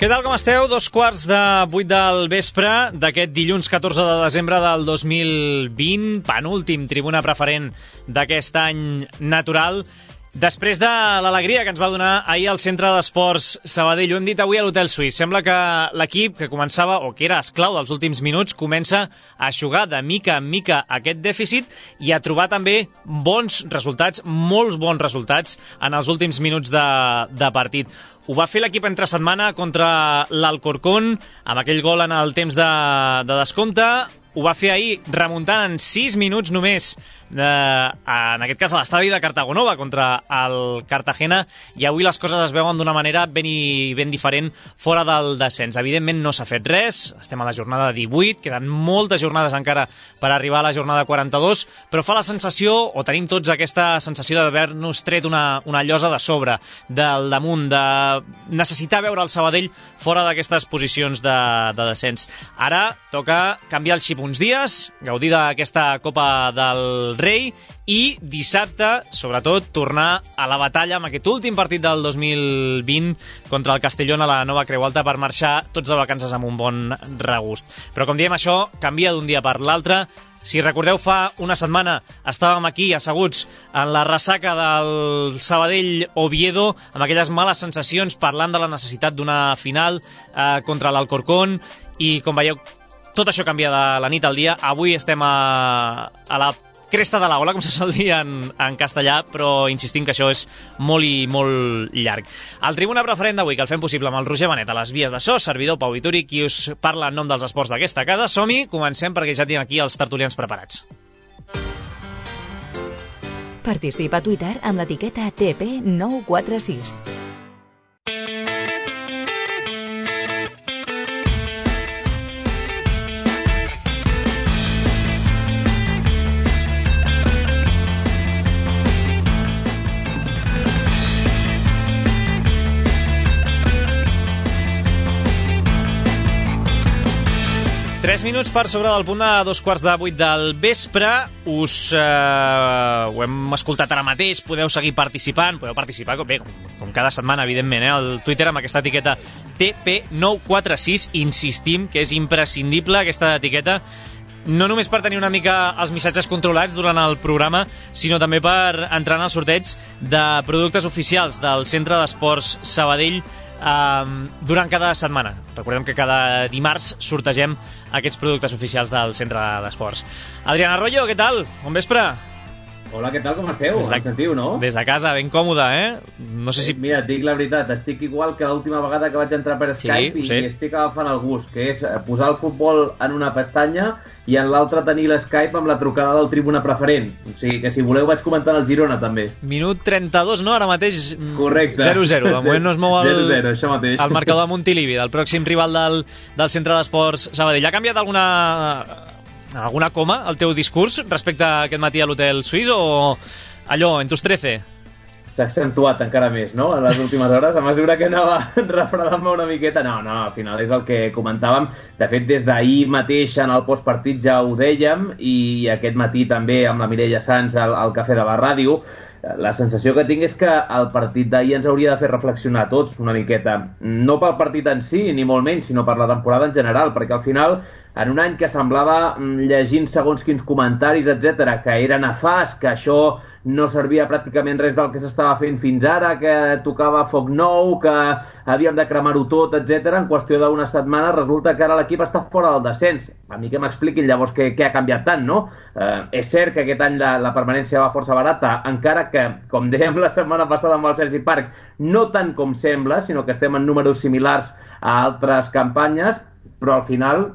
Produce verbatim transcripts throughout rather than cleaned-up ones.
Què tal, com esteu? Dos quarts de vuit del vespre d'aquest dilluns catorze de desembre del dos mil vint, penúltim tribuna preferent d'aquest any natural. Després de l'alegria que ens va donar ahir al Centre d'Esports Sabadell, ho hem dit avui a l'Hotel Suís, sembla que l'equip que començava, o que era esclau dels últims minuts, comença a eixugar de mica en mica aquest dèficit i a trobar també bons resultats, molts bons resultats en els últims minuts de, de partit. Ho va fer l'equip entre setmana contra l'Alcorcón, amb aquell gol en el temps de, de descompte. Ho va fer ahir remuntant en sis minuts només, eh, en aquest cas a l'estadi de Cartagonova contra el Cartagena, i avui les coses es veuen d'una manera ben, i, ben diferent fora del descens. Evidentment no s'ha fet res, estem a la jornada divuit, queden moltes jornades encara per arribar a la jornada quaranta-dos, però fa la sensació, o tenim tots aquesta sensació d'haver-nos tret una, una llosa de sobre, del damunt, de necessitar veure el Sabadell fora d'aquestes posicions de, de descens. Ara toca canviar el xip uns dies, gaudir d'aquesta Copa del Rei i dissabte, sobretot, tornar a la batalla amb aquest últim partit del dos mil vint contra el Castellón a la Nova Creu Alta per marxar tots de vacances amb un bon regust. Però, com diem, això canvia d'un dia per l'altre. Si recordeu, fa una setmana estàvem aquí asseguts en la ressaca del Sabadell-Oviedo amb aquelles males sensacions parlant de la necessitat d'una final eh, contra l'Alcorcón, i com veieu, tot això canvia de la nit al dia. Avui estem a, a la cresta de l'ola, com se sol dir en, en castellà, però insistim que això és molt i molt llarg. El Tribuna Preferent d'avui, que el fem possible amb el Roger Benet a les vies de so, servidor Pau Vituri, qui us parla en nom dels esports d'aquesta casa. Som-hi, comencem, perquè ja tinc aquí els tertulians preparats. Participa a Twitter amb l'etiqueta T P nou quatre sis. Tres minuts per sobre del punt de dos quarts de vuit del vespre. Us eh, ho hem escoltat ara mateix, podeu seguir participant, podeu participar com, bé, com, com cada setmana, evidentment, eh, al Twitter amb aquesta etiqueta T P nou quatre sis. Insistim que és imprescindible aquesta etiqueta, no només per tenir una mica els missatges controlats durant el programa, sinó també per entrar en el sorteig de productes oficials del Centre d'Esports Sabadell Um, durant cada setmana. Recordem que cada dimarts sortegem aquests productes oficials del Centre d'Esports. Adrián Arroyo, què tal? Bon vespre. Hola, què tal, com esteu? Des de, em sentiu, no? Des de casa, ben còmode, eh? No sé si... Mira, et dic la veritat, estic igual que l'última vegada que vaig entrar per Skype, sí, i estic agafant el gust, que és posar el futbol en una pestanya i en l'altra tenir l'Skype amb la trucada del Tribuna Preferent. O sigui que, si voleu, vaig comentant el Girona, també. Minut trenta-dos, no? Ara mateix... Correcte. zero zero. De moment no es mou el, zero zero, això mateix. El marcador de Montilivi, del pròxim rival del, del Centre d'Esports Sabadell. Ha canviat alguna... alguna coma el teu discurs respecte a aquest matí a l'Hotel Suís, o allò, en tus trece? S'ha accentuat encara més, no?, en les últimes hores, a mesura que anava refredant-me una miqueta. No, no, al final és el que comentàvem. De fet, des d'ahir mateix en el postpartit ja ho dèiem, i aquest matí també amb la Mireia Sans al, al Cafè de la Ràdio. La sensació que tinc és que el partit d'ahir ens hauria de fer reflexionar tots una miqueta. No pel partit en si, ni molt menys, sinó per la temporada en general, perquè al final, en un any que semblava, llegint segons quins comentaris, etcètera, que era nefast, que això no servia pràcticament res del que s'estava fent fins ara, que tocava foc nou, que havíem de cremar-ho tot, etcètera, en qüestió d'una setmana resulta que ara l'equip està fora del descens. A mi que m'expliquin llavors què, què ha canviat tant, no? Eh, és cert que aquest any la, la permanència va força barata, encara que, com dèiem la setmana passada amb el Sergi Parc, no tant com sembla, sinó que estem en números similars a altres campanyes, però al final,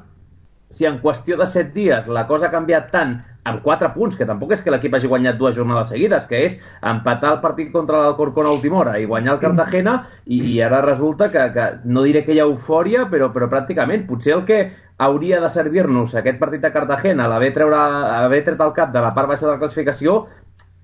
si en qüestió de set dies la cosa ha canviat tant, amb quatre punts, que tampoc és que l'equip hagi guanyat dues jornades seguides, que és empatar el partit contra l'Alcorcón a última hora i guanyar el Cartagena, i, i ara resulta que, que no diré que hi ha eufòria, però, però pràcticament, potser el que hauria de servir-nos aquest partit de Cartagena, l'haver tret el cap de la part baixa de la classificació,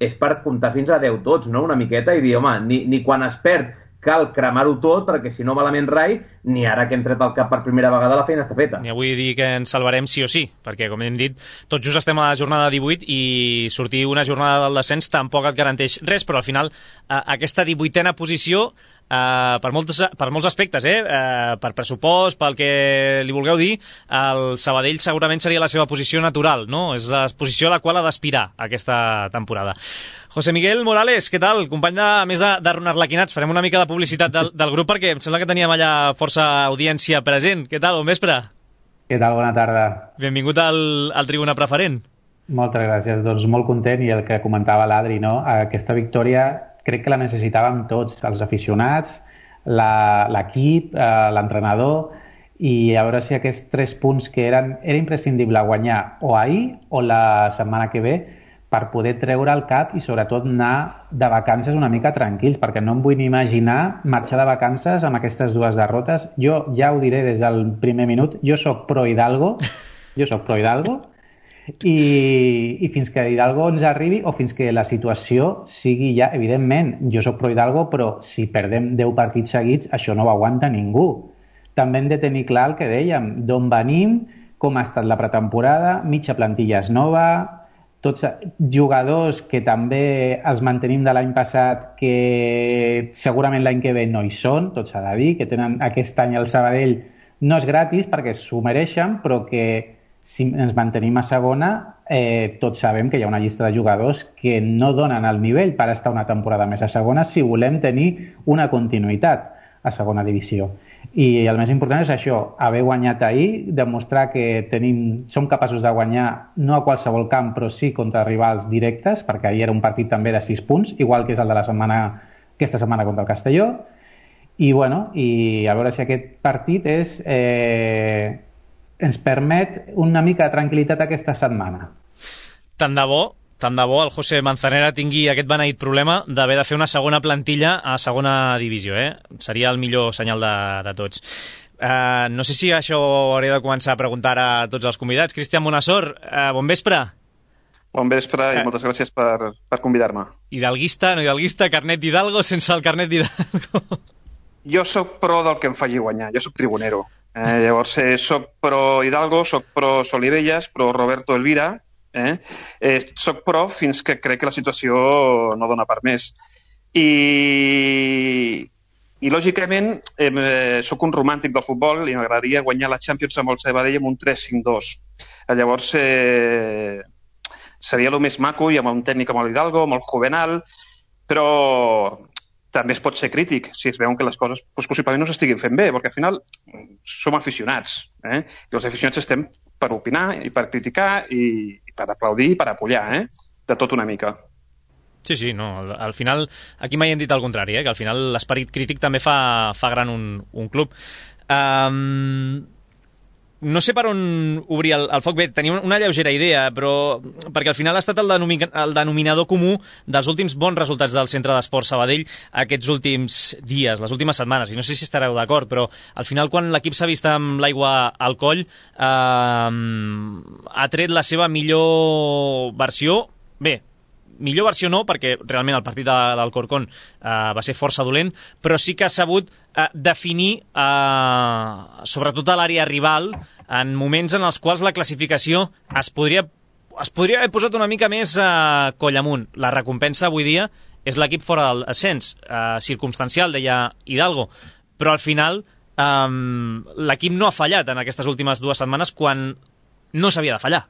és per comptar fins a deu tots, no?, una miqueta, i dir, home, ni, ni quan es perd cal cremar-ho tot, perquè si no malament rai, ni ara que hem tret el cap per primera vegada la feina està feta. Ni avui dir que ens salvarem sí o sí, perquè, com hem dit, tot just estem a la jornada divuit i sortir una jornada del descens tampoc et garanteix res, però al final aquesta divuitena posició uh, per, molts, per molts aspectes, eh? Uh, per pressupost, pel que li vulgueu dir, el Sabadell segurament seria la seva posició natural, no? És la posició a la qual ha d'aspirar aquesta temporada. José Miguel Morales, què tal? Company de, a més de, de Ronald Laquinats, farem una mica de publicitat del, del grup perquè em sembla que teníem allà força audiència present. Què tal? Bon vespre. Què tal? Bona tarda. Benvingut al, al Tribuna Preferent. Moltes gràcies. Doncs molt content, i el que comentava l'Adri, no? Aquesta victòria crec que la necessitàvem tots, els aficionats, l'equip, l'entrenador, i a veure si aquests tres punts que eren, era imprescindible guanyar o ahir o la setmana que ve per poder treure el cap i sobretot anar de vacances una mica tranquils, perquè no em vull ni imaginar marxar de vacances amb aquestes dues derrotes. Jo ja ho diré des del primer minut, jo sóc pro Hidalgo, jo sóc pro Hidalgo, i, i fins que Hidalgo ens arribi o fins que la situació sigui ja, evidentment, jo sóc pro Hidalgo, però si perdem deu partits seguits, això no ho aguanta ningú. També hem de tenir clar el que dèiem, d'on venim, com ha estat la pretemporada, mitja plantilla és nova, tots jugadors que també els mantenim de l'any passat que segurament l'any que ve no hi són, tots s'ha de dir, que tenen aquest any el Sabadell no és gratis perquè s'ho mereixen, però que si ens mantenim a segona, eh, tots sabem que hi ha una llista de jugadors que no donen el nivell per estar una temporada més a segona si volem tenir una continuïtat a segona divisió. I el més important és això, haver guanyat ahir, demostrar que tenim, som capaços de guanyar no a qualsevol camp, però sí contra rivals directes, perquè ahir era un partit també de sis punts, igual que és el de la setmana, aquesta setmana contra el Castelló, i, bueno, i a veure si aquest partit és, eh, ens permet una mica de tranquil·litat aquesta setmana. Tant de bo, tant de bo el José Manzanera tingui aquest beneït problema d'haver de fer una segona plantilla a segona divisió, eh? Seria el millor senyal de, de tots. Uh, no sé si això hauré de començar a preguntar a tots els convidats. Cristian Bonassor, uh, bon vespre. Bon vespre i uh, moltes gràcies per, per convidar-me. Hidalguista, no hidalguista, carnet d'Hidalgo sense el carnet d'Hidalgo. Jo sóc pro del que em faci guanyar, jo sóc tribunero. Eh, llavors, eh, soc pro Hidalgo, soc pro Solivelles, pro Roberto Elvira. Eh? Eh, soc pro fins que crec que la situació no dona per més. I, i lògicament, eh, soc un romàntic del futbol i m'agradaria guanyar la Champions amb el Sabadell amb un tres cinc dos. Eh, llavors, eh, seria el més maco i amb un tècnic com l'Hidalgo, amb el Juvenal, però també es pot ser crític si es veuen que les coses doncs, possiblement no s'estiguin fent bé, perquè al final som aficionats, eh? I els aficionats estem per opinar i per criticar i, i per aplaudir i per apollar, eh? De tot una mica. Sí, sí, no, al, al final, aquí mai hem dit el contrari, eh? Que al final l'esperit crític també fa, fa gran un, un club. Um, no sé per on obrir el, el foc, bé, tenia una lleugera idea, però perquè al final ha estat el, denomi, el denominador comú dels últims bons resultats del Centre d'Esports Sabadell aquests últims dies, les últimes setmanes, i no sé si estareu d'acord, però al final quan l'equip s'ha vist amb l'aigua al coll eh, ha tret la seva millor versió, bé, millor versió no, perquè realment el partit de l'Alcorcón eh, va ser força dolent, però sí que ha sabut eh, definir, eh, sobretot a l'àrea rival, en moments en els quals la classificació es podria, es podria haver posat una mica més eh, coll amunt. La recompensa avui dia és l'equip fora del ascens, eh, circumstancial, deia Hidalgo, però al final eh, l'equip no ha fallat en aquestes últimes dues setmanes quan no s'havia de fallar.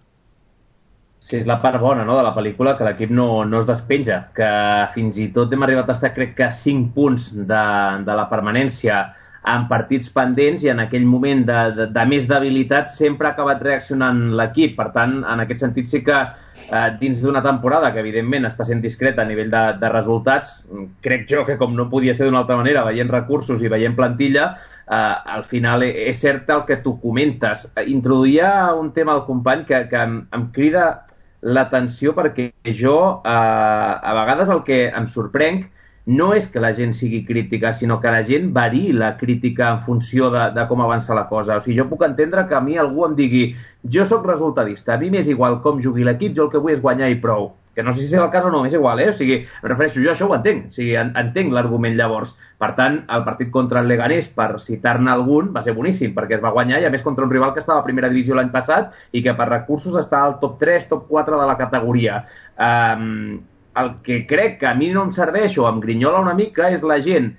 Sí, és la part bona, no?, de la pel·lícula, que l'equip no, no es despenja, que fins i tot hem arribat a estar, crec que, cinc punts de, de la permanència en partits pendents, i en aquell moment de, de, de més debilitat sempre ha acabat reaccionant l'equip. Per tant, en aquest sentit sí que eh, dins d'una temporada que evidentment està sent discreta a nivell de, de resultats, crec jo que com no podia ser d'una altra manera, veient recursos i veient plantilla, eh, al final és cert el que tu comentes. Introduïa un tema al company que, que em, em crida l'atenció, perquè jo eh, a vegades el que em sorprenc no és que la gent sigui crítica, sinó que la gent variï la crítica en funció de, de com avança la cosa. O sigui, jo puc entendre que a mi algú em digui jo sóc resultadista, a mi m'és igual com jugui l'equip, jo el que vull és guanyar i prou. Que no sé si és el cas o no, m'és igual, eh? O sigui, em refereixo, jo això ho entenc, o sigui, entenc l'argument llavors. Per tant, el partit contra el Leganés, per citar-ne algun, va ser boníssim, perquè es va guanyar, i a més contra un rival que estava a primera divisió l'any passat i que per recursos està al top tres, top quatre de la categoria. Um, el que crec que a mi no em serveix o em grinyola una mica és la gent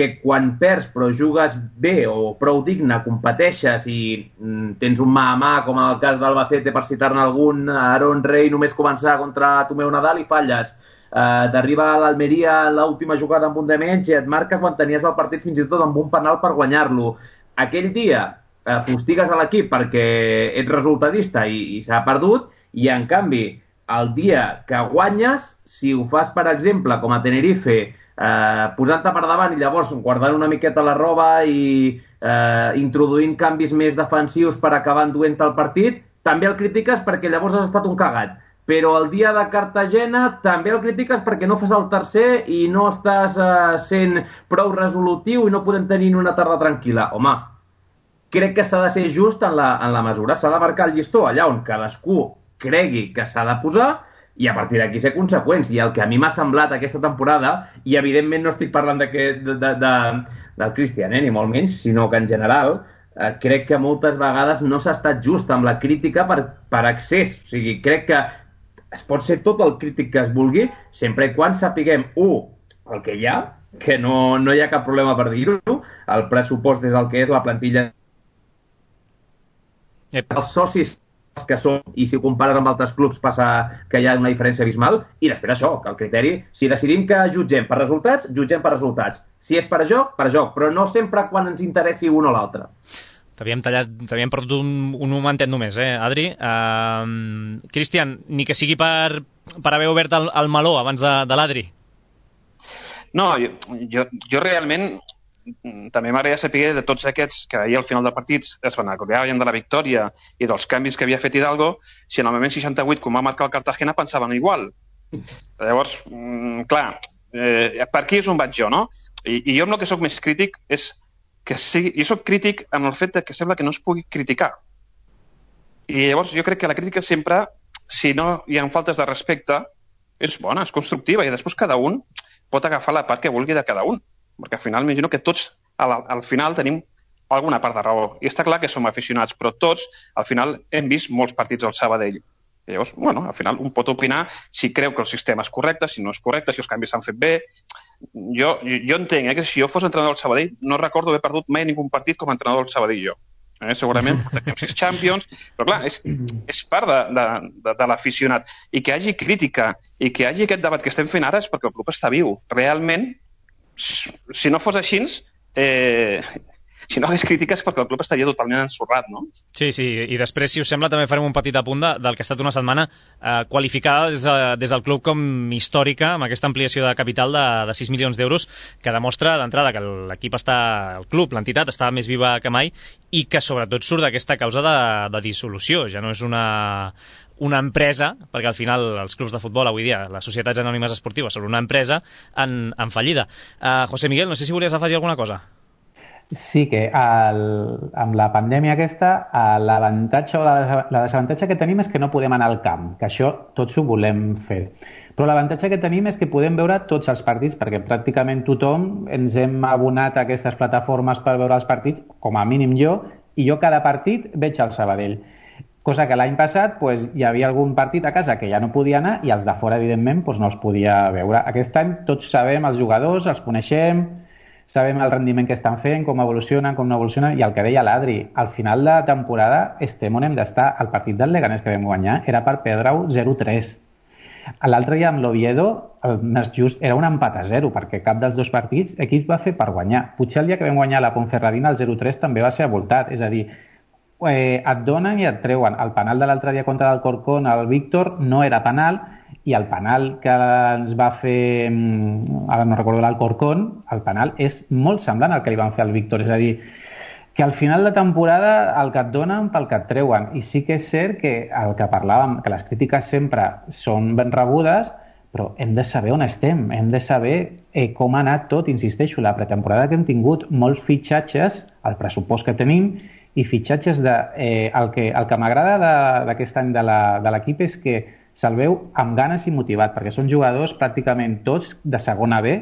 que quan perds però jugues bé o prou digne, competeixes i mm, tens un mà a mà, com en el cas d'Albacete, per citar-ne algun, Aaron Rey només començar contra Tomeu Nadal i falles. Uh, t'arriba a l'Almeria l'última jugada amb un de menys i et marca quan tenies el partit fins i tot amb un penal per guanyar-lo. Aquell dia uh, fustigues a l'equip perquè ets resultadista i, i s'ha perdut, i en canvi el dia que guanyes, si ho fas per exemple com a Tenerife, eh, posant-te per davant i llavors guardant una miqueta la roba i eh, introduint canvis més defensius per acabar enduent el partit, també el critiques perquè llavors has estat un cagat. Però el dia de Cartagena també el critiques perquè no fas el tercer i no estàs eh, sent prou resolutiu i no podem tenir una tarda tranquil·la. Home, crec que s'ha de ser just en la, en la mesura. S'ha de marcar el llistó allà on cadascú cregui que s'ha de posar i a partir d'aquí ser conseqüents. I el que a mi m'ha semblat aquesta temporada, i evidentment no estic parlant de, de, de, de, del Cristian, eh, ni molt menys, sinó que en general eh, crec que moltes vegades no s'ha estat just amb la crítica per, per excés. O sigui, crec que es pot ser tot el crític que es vulgui, sempre i quan sapiguem, u, el que hi ha, que no, no hi ha cap problema per dir-ho, el pressupost és el que és, la plantilla, Ep. els socis que són, i si ho compares amb altres clubs passa que hi ha una diferència abismal, i després això, que el criteri, si decidim que jutgem per resultats, jutgem per resultats. Si és per joc, per joc, però no sempre quan ens interessi un o l'altre. T'havíem tallat, t'havíem perdut un, un momentet només, eh, Adri? Uh, Cristian, ni que sigui per, per haver obert el, el meló abans de, de l'Adri. No, jo, jo, jo realment també m'agradaria saber de tots aquests que ahir al final del partit es van acordaven de la victòria i dels canvis que havia fet Hidalgo, si en el moment seixanta-vuit, com va marcar el Cartagena, pensaven igual. Llavors, clar, eh, per aquí és on vaig jo, no? I, i jo amb el que sóc més crític és que sigui, jo soc crític amb el fet que sembla que no es pugui criticar. I llavors jo crec que la crítica sempre, si no hi ha faltes de respecte, és bona, és constructiva, i després cada un pot agafar la part que vulgui de cada un. Perquè al final m'imagino que tots al, al final tenim alguna part de raó. I està clar que som aficionats, però tots al final hem vist molts partits al Sabadell. I llavors, bueno, al final un pot opinar si creu que el sistema és correcte, si no és correcte, si els canvis s'han fet bé. Jo, jo entenc eh, que si jo fos entrenador del Sabadell no recordo haver perdut mai ningú partit com a entrenador del Sabadell jo. Eh, segurament tenim sis Champions, però clar, és, és part de, de, de, de l'aficionat. I que hi hagi crítica i que hi hagi aquest debat que estem fent ara és perquè el club està viu. Realment, si no fos així, eh, si no hagués crítiques perquè el club estaria totalment ensorrat, no? Sí, sí, i després, si us sembla, també farem un petit apunt de, del que ha estat una setmana eh, qualificada des, de, des del club com històrica, amb aquesta ampliació de capital de, de sis milions d'euros, que demostra d'entrada que l'equip està, el club, l'entitat, està més viva que mai i que sobretot surt d'aquesta causa de, de dissolució. Ja no és una... una empresa, perquè al final els clubs de futbol avui dia, les societats anònimes esportives, són una empresa en, en fallida. Uh, José Miguel, no sé si volies afegir alguna cosa. Sí, que el, amb la pandèmia aquesta, l'avantatge o la, la desavantatge que tenim és que no podem anar al camp, que això tots ho volem fer. Però l'avantatge que tenim és que podem veure tots els partits, perquè pràcticament tothom ens hem abonat a aquestes plataformes per veure els partits, com a mínim jo, i jo cada partit veig el Sabadell. Cosa que l'any passat pues, hi havia algun partit a casa que ja no podia anar i els de fora, evidentment, pues, no els podia veure. Aquest any tots sabem els jugadors, els coneixem, sabem el rendiment que estan fent, com evolucionen, com no evolucionen, i el que deia l'Adri, al final de temporada estem on hem d'estar. El partit del Leganés que vam guanyar era per perdre-ho zero tres. L'altre dia amb l'Oviedo, el més just era un empat a zero, perquè cap dels dos partits equip va fer per guanyar. Potser el dia que vam guanyar la Ponferradina, el zero tres també va ser avoltat, és a dir, Eh, et donen i et treuen. El penal de l'altre dia contra l'Alcorcón, el Víctor, no era penal, i el penal que ens va fer, ara no recordo l'Alcorcón, el penal és molt semblant al que li van fer al Víctor. És a dir, que al final de temporada el que et donen pel que et treuen. I sí que és cert que el que parlàvem, que les crítiques sempre són ben rebudes, però hem de saber on estem, hem de saber eh, com ha anat tot. Insisteixo, la pretemporada que hem tingut, molts fitxatges, el pressupost que tenim, i fitxatges de... Eh, el que, el que m'agrada d'aquest any de l'equip és que se'l veu amb ganes i motivat, perquè són jugadors pràcticament tots de segona B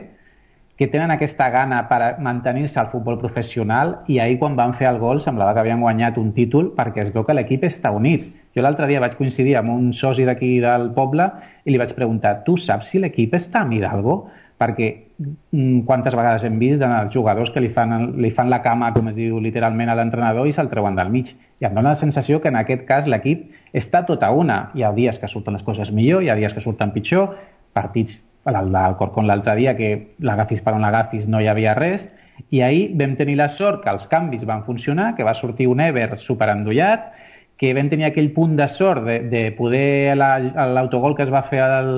que tenen aquesta gana per mantenir-se al futbol professional, i ahir quan van fer el gol semblava que havien guanyat un títol perquè es veu que l'equip està unit. Jo l'altre dia vaig coincidir amb un soci d'aquí del poble i li vaig preguntar, tu saps si l'equip està amb Hidalgo? perquè mm, quantes vegades hem vist els jugadors que li fan, li fan la cama, com es diu literalment, a l'entrenador i se'l treuen del mig. I em dóna la sensació que en aquest cas l'equip està tot a una. Hi ha dies que surten les coses millor, hi ha dies que surten pitjor, partits, el d'Alcorcón l'altre dia, que l'agafis per on l'agafis no hi havia res, i ahir vam tenir la sort que els canvis van funcionar, que va sortir un Ever superendollat, que vam tenir aquell punt de sort de, de poder l'autogol que es va fer al,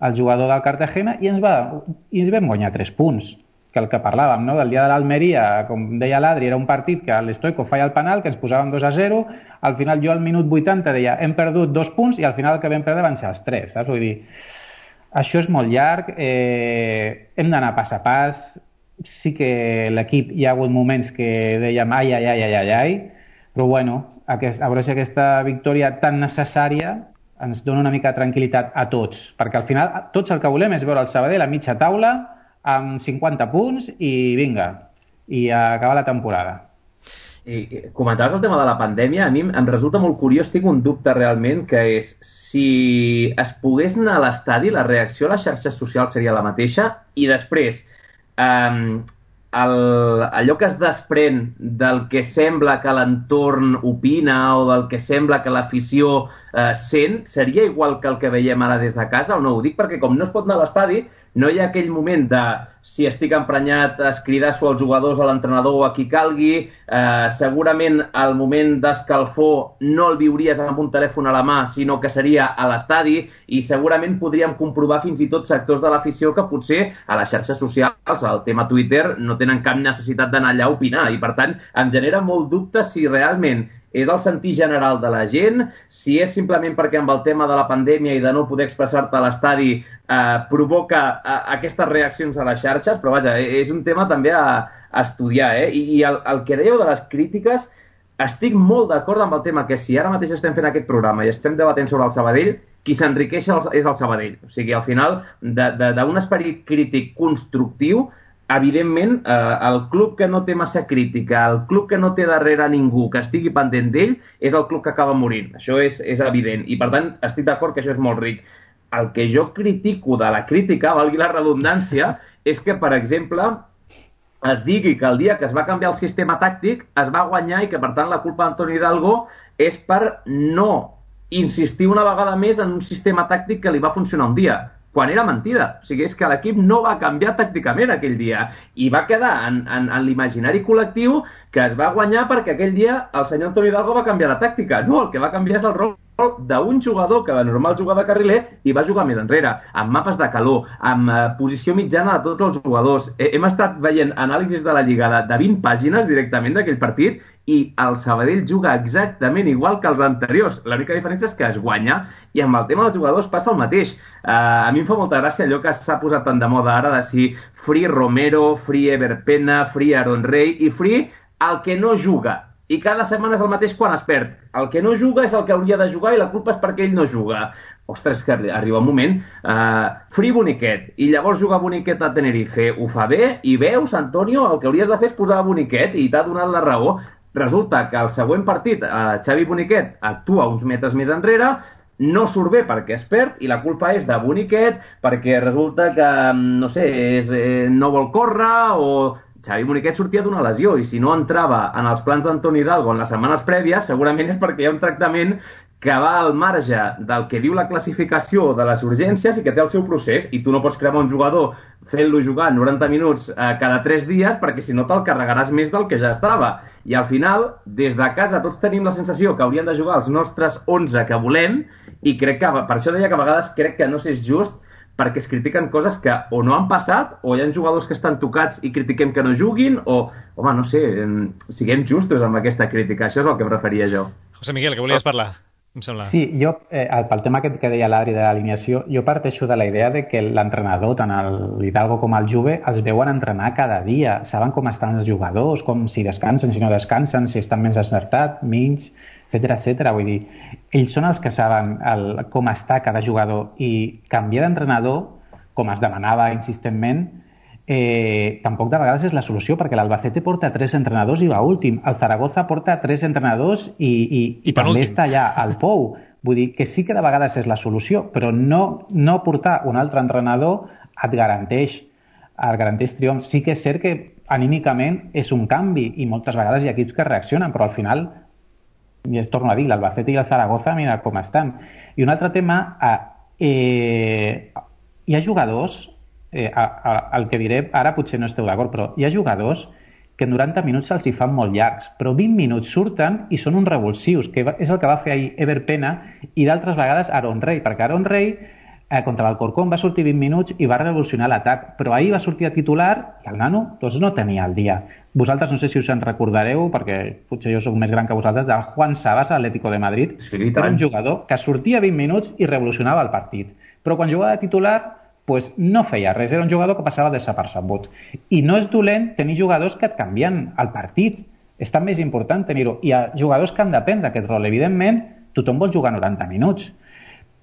al jugador del Cartagena i ens, va, i ens vam guanyar tres punts, que el que parlàvem, no? Del dia de l'Almeria, com deia l'Adri, era un partit que l'Stoico feia el penal, que ens posàvem dos a zero, al final jo al minut vuitanta deia hem perdut dos punts i al final el que vam perdre van ser els tres, saps? Vull dir, això és molt llarg, eh, hem d'anar pas a pas, sí que l'equip hi ha hagut moments que dèiem ai, ai, ai, ai, ai, ai, però bueno, aquest, a veure si aquesta victòria tan necessària ens dona una mica de tranquil·litat a tots, perquè al final tots el que volem és veure el Sabadell a mitja taula amb cinquanta punts i vinga, i acabar la temporada. I comentaves el tema de la pandèmia, a mi em resulta molt curiós, tinc un dubte realment, que és si es pogués anar a l'estadi, la reacció a les xarxes socials seria la mateixa, i després um, el, allò que es desprèn del que sembla que l'entorn opina o del que sembla que l'afició uh, sent, seria igual que el que veiem ara des de casa o no? Ho dic perquè com no es pot anar a l'estadi, no hi ha aquell moment de si estic emprenyat es cridar-s'ho als jugadors, a l'entrenador o a qui calgui, eh, segurament el moment d'escalfor no el viuries amb un telèfon a la mà, sinó que seria a l'estadi, i segurament podríem comprovar fins i tot sectors de l'afició que potser a les xarxes socials, al tema Twitter, no tenen cap necessitat d'anar allà a opinar, i per tant em genera molt dubte si realment és el sentir general de la gent, si és simplement perquè amb el tema de la pandèmia i de no poder expressar-te a l'estadi eh, provoca eh, aquestes reaccions a les xarxes, però vaja, és un tema també a, a estudiar. Eh? I, i el, el que dèieu de les crítiques, estic molt d'acord amb el tema que si ara mateix estem fent aquest programa i estem debatent sobre el Sabadell, qui s'enriqueix és el Sabadell. O sigui, al final, d'un esperit crític constructiu, evidentment, eh, el club que no té massa crítica, el club que no té darrere ningú que estigui pendent d'ell, és el club que acaba morint. Això és, és evident. I, per tant, estic d'acord que això és molt ric. El que jo critico de la crítica, valgui la redundància, és que, per exemple, es digui que el dia que es va canviar el sistema tàctic es va guanyar i que, per tant, la culpa d'Antoni Hidalgo és per no insistir una vegada més en un sistema tàctic que li va funcionar un dia, quan era mentida. O sigui, és que l'equip no va canviar tàcticament aquell dia i va quedar en, en, en l'imaginari col·lectiu que es va guanyar perquè aquell dia el senyor Antoni Hidalgo va canviar la tàctica. No, el que va canviar és el rol d'un jugador que de normal jugava de carriler i va jugar més enrere, amb mapes de calor, amb eh, posició mitjana de tots els jugadors. Eh, hem estat veient anàlisis de la Lliga de, de vint pàgines directament d'aquell partit i el Sabadell juga exactament igual que els anteriors. L'única diferència és que es guanya, i amb el tema dels jugadors passa el mateix. Eh, a mi em fa molta gràcia allò que s'ha posat tan de moda ara de si free Romero, free Ever Pena, free Aaron Rey i free el que no juga. I cada setmana és el mateix quan es perd. El que no juga és el que hauria de jugar i la culpa és perquè ell no juga. Ostres, que arriba un moment. Uh, free Boniquet. I llavors jugar Boniquet a Tenerife. Ho fa bé i veus, Antonio, el que hauries de fer és posar Boniquet i t'ha donat la raó. Resulta que el següent partit, uh, Xavi Boniquet actua uns metres més enrere, no surt bé perquè es perd i la culpa és de Boniquet perquè resulta que, no sé, és, eh, no vol córrer o... Xavi Boniquet sortia d'una lesió i si no entrava en els plans d'Antoni Hidalgo en les setmanes prèvies, segurament és perquè hi ha un tractament que va al marge del que diu la classificació de les urgències i que té el seu procés, i tu no pots cremar un jugador fent-lo jugar noranta minuts eh, cada tres dies perquè si no te'l carregaràs més del que ja estava. I al final, des de casa tots tenim la sensació que haurien de jugar els nostres onze que volem, i crec que, per això deia que a vegades crec que no és just perquè es critiquen coses que o no han passat o hi ha jugadors que estan tocats i critiquem que no juguin o, home, no sé, siguem justos amb aquesta crítica. Això és el que em referia jo. José Miguel, que volies parlar? Em sembla. Sí, jo, eh, pel tema que, que deia l'Adri de l'alineació, jo parteixo de la idea de que l'entrenador, tant l'Hidalgo com el Juve, els veuen entrenar cada dia, saben com estan els jugadors, com si descansen, si no descansen, si estan més encertats, menys, etcètera, etcètera. Vull dir, ells són els que saben el, com està cada jugador, i canviar d'entrenador, com es demanava insistentment, eh, tampoc de vegades és la solució, perquè l'Albacete porta tres entrenadors i va últim, el Zaragoza porta tres entrenadors i, i, I, i també està allà al Pou. Vull dir que sí que de vegades és la solució, però no, no portar un altre entrenador et garanteix el garanteix triomf. Sí que és cert que anímicament és un canvi i moltes vegades hi ha equips que reaccionen, però al final, i es torno a dir, l'Albacete i el Zaragoza, mira com estan. I un altre tema, eh, hi ha jugadors, eh, a, a, el que diré ara potser no esteu d'acord, però hi ha jugadors que en noranta minuts se'ls hi fan molt llargs, però vint minuts surten i són uns revulsius, que és el que va fer ahir Ever Pena i d'altres vegades Aaron Rey, perquè Aaron Rey eh, contra l'Alcorcón va sortir vint minuts i va revolucionar l'atac, però ahir va sortir a titular i el nano doncs, no tenia el dia. Vosaltres no sé si us en recordareu, perquè potser jo soc més gran que vosaltres, del Juan Sabas a l'Atlético de Madrid. Sí, era un jugador que sortia vint minuts i revolucionava el partit, però quan jugava de titular pues no feia res, era un jugador que passava desapercebut. I no és dolent tenir jugadors que et canvien el partit, és tan més important tenir-ho. Hi ha jugadors que han de prendre aquest rol. Evidentment, tothom vol jugar noranta minuts,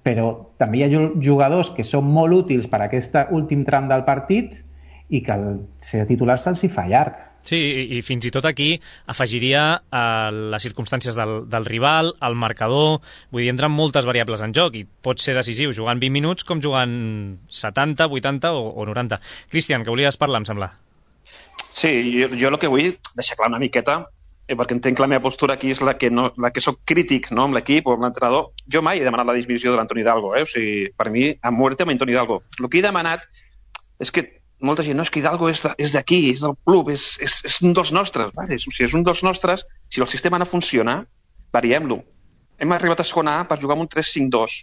però també hi ha jugadors que són molt útils per a aquest últim tram del partit i que el ser titular se'ls hi fa llarg. Sí, i, i fins i tot aquí afegiria eh, les circumstàncies del, del rival, el marcador, vull dir, entren moltes variables en joc i pot ser decisiu jugant vint minuts com jugant setanta, vuitanta o, o noranta. Cristian, que volies parlar, em sembla. Sí, jo, jo el que vull deixar clar una miqueta, eh, perquè entenc que la meva postura aquí és la que, no, la que soc crític, no?, amb l'equip o amb l'entrenador. Jo mai he demanat la dismissió de l'Antoni Hidalgo, eh? O sigui, per mi, a muerte amb Antoni Hidalgo. El que he demanat és que molta gent, no, és que Hidalgo és d'aquí, de, és del club, és, és, és un dels nostres. Vale? O sigui, és un dels nostres, si el sistema no funciona, variem-lo. Hem arribat a segona A per jugar amb un tres cinc dos.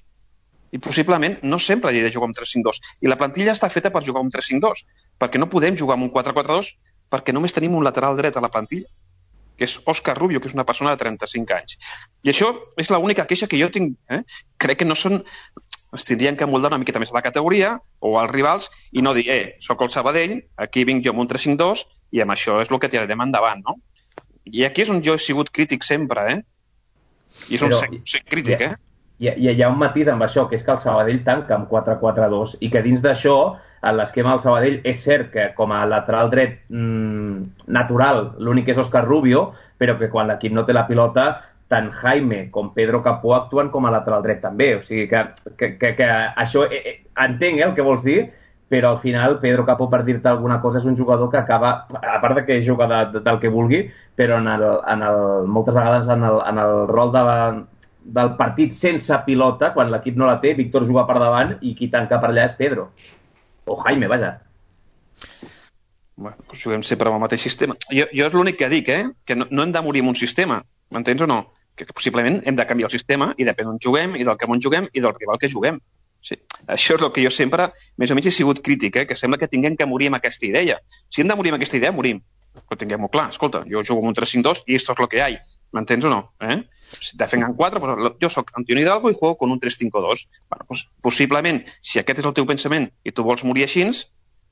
I possiblement no sempre hi ha de jugar amb tres cinc dos. I la plantilla està feta per jugar amb tres cinc dos, perquè no podem jugar amb un quatre quatre dos, perquè només tenim un lateral dret a la plantilla, que és Òscar Rubio, que és una persona de trenta-cinc anys. I això és l'única queixa que jo tinc. Eh? Crec que no són... es tindrien que moldar una miqueta més a la categoria o als rivals i no dir, eh, soc el Sabadell, aquí vinc jo amb un tres cinc dos i amb això és el que tirarem endavant, no? I aquí és on jo he sigut crític sempre, eh? I és on Però, sé, sé crític, hi ha, eh? Hi ha, hi ha un matís amb això, que és que el Sabadell tanca amb quatre quatre dos i que dins d'això, en l'esquema del Sabadell, és cert que com a lateral dret mmm, natural l'únic és Òscar Rubio, però que quan l'equip no té la pilota tant Jaime com Pedro Capó actuen com a lateral dret també, o sigui que, que, que, que això, eh, eh, entenc eh, el que vols dir, però al final Pedro Capó, per dir-te alguna cosa, és un jugador que acaba, a part de que juga de, de, del que vulgui, però en el, en el, moltes vegades en el, en el rol de, del partit sense pilota, quan l'equip no la té, Víctor juga per davant i qui tanca per allà és Pedro, o Jaime, vaja. Bueno, doncs juguem sempre amb el mateix sistema. Jo, jo és l'únic que dic, eh? Que no, no hem de morir amb un sistema, m'entens o no? Que possiblement hem de canviar el sistema i depèn on juguem i del que on juguem i del rival que juguem. Sí. Això és el que jo sempre, més o menys, he sigut crític, eh? Que sembla que tinguem que morir amb aquesta idea. Si hem de morir amb aquesta idea, morim. Però tinguem-ho clar. Escolta, jo jugo amb un tres cinc dos i esto és lo que hay. M'entens o no? Eh? Si defengan quatre, pues, jo soc Antoni Hidalgo i juego con un tres cinc dos. Bueno, pues, possiblement, si aquest és el teu pensament i tu vols morir així,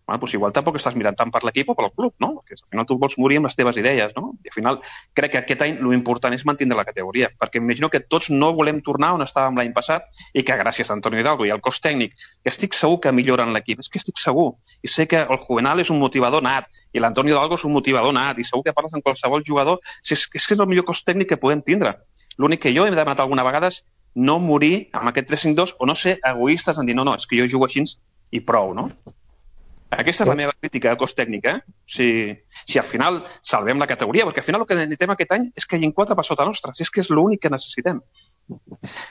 bueno, pues igual tampoc estàs mirant tant per l'equip o pel club, no? Perquè al final tu vols morir amb les teves idees, no? I al final crec que aquest any l'important és mantenir la categoria, perquè imagino que tots no volem tornar on estàvem l'any passat i que gràcies a Antoni Hidalgo i al cos tècnic, que estic segur que milloren l'equip, és que estic segur. I sé que el Juvenal és un motivador nat i l'Antoni Hidalgo és un motivador nat i segur que parles amb qualsevol jugador, és, és que és el millor cos tècnic que podem tindre. L'únic que jo he demanat alguna vegada és no morir amb aquest tres cinc dos o no ser egoistes en dir no, no, és que jo jugo així i prou, no? Aquesta és la meva crítica al cos tècnic, eh? Si, si al final salvem la categoria, perquè al final el que necessitem aquest any és que hi hagi quatre per sota nostra, si és que és l'únic que necessitem.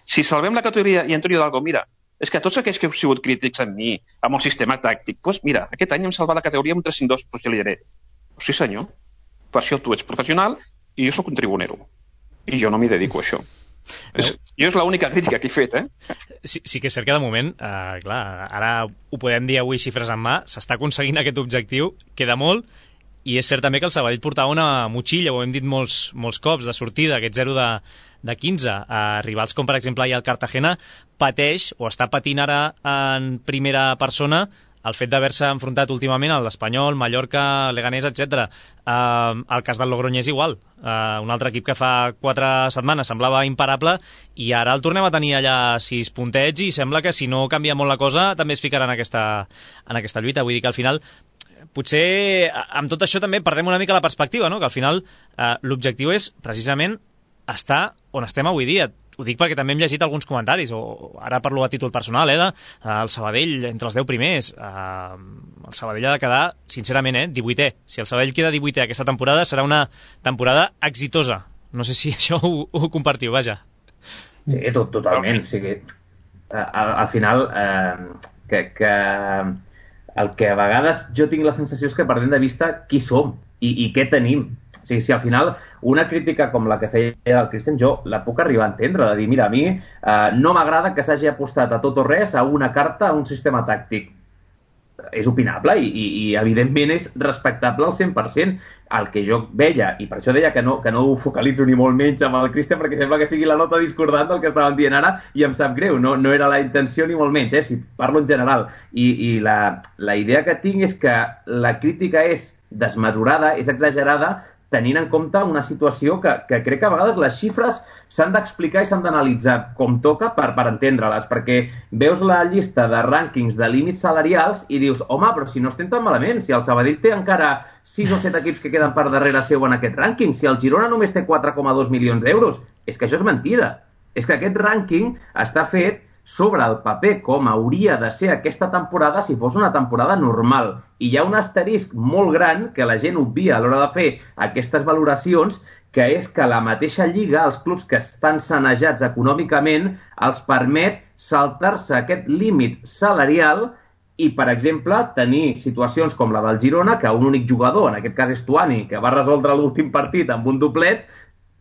Si salvem la categoria i Antoni Hidalgo, mira, és que tots aquells que heu sigut crítics amb mi, amb el sistema tàctic, doncs mira, aquest any hem salvat la categoria amb un tres cinc dos, doncs jo li diré, sí senyor, per això tu ets professional i jo sóc un tribunero. I jo no m'hi dedico a això. És, jo és l'única crítica que he fet, eh? Sí, sí que és cert que de moment, eh, clar, ara ho podem dir avui xifres en mà, s'està aconseguint aquest objectiu, queda molt, i és cert també que el Sabadell portava una motxilla, ho hem dit molts, molts cops, de sortida, aquest zero de, de quinze. A rivals com, per exemple, ahir el Cartagena pateix, o està patint ara en primera persona, el fet d'haver-se enfrontat últimament a l'Espanyol, Mallorca, Leganés, etcètera. Uh, el cas del Logroñés igual. Uh, un altre equip que fa quatre setmanes semblava imparable i ara el tornem a tenir allà sis puntets i sembla que si no canvia molt la cosa també es ficarà en aquesta, en aquesta lluita. Vull dir que al final potser amb tot això també perdem una mica la perspectiva, no? Que al final uh, l'objectiu és precisament estar on estem avui dia. ho dic perquè també hem llegit alguns comentaris, o ara parlo a títol personal, eh, de, uh, el Sabadell entre els deu primers. Uh, el Sabadell ha de quedar, sincerament, eh, divuitè. Si el Sabadell queda divuitè aquesta temporada, serà una temporada exitosa. No sé si això ho, ho compartiu, vaja. Sí, tot, totalment. O sigui, al, al final, eh, que, que el que a vegades jo tinc la sensació és que perdem de vista qui som i, i què tenim. O sigui, si al final una crítica com la que feia el Cristian, jo la puc arribar a entendre, de dir, mira, a mi eh, no m'agrada que s'hagi apostat a tot o res a una carta, a un sistema tàctic. És opinable i, i, i evidentment és respectable al cent per cent. El que jo veia, i per això deia que no, que no ho focalitzo ni molt menys amb el Cristian, perquè sembla que sigui la nota discordant del que estàvem dient ara i em sap greu, no, no era la intenció ni molt menys, eh, si parlo en general. I, i la, la idea que tinc és que la crítica és desmesurada, és exagerada, tenint en compte una situació que, que crec que a vegades les xifres s'han d'explicar i s'han d'analitzar com toca per, per entendre-les, perquè veus la llista de rànquings de límits salarials i dius, home, però si no estem tan malament, si el Sabadell té encara sis o set equips que queden per darrere seu en aquest rànquing, si el Girona només té quatre coma dos milions d'euros, és que això és mentida. És que aquest rànquing està fet sobre el paper com hauria de ser aquesta temporada si fos una temporada normal. I hi ha un asterisc molt gran que la gent obvia a l'hora de fer aquestes valoracions, que és que la mateixa lliga, els clubs que estan sanejats econòmicament, els permet saltar-se aquest límit salarial i, per exemple, tenir situacions com la del Girona, que un únic jugador, en aquest cas és Tuani, que va resoldre l'últim partit amb un doblet,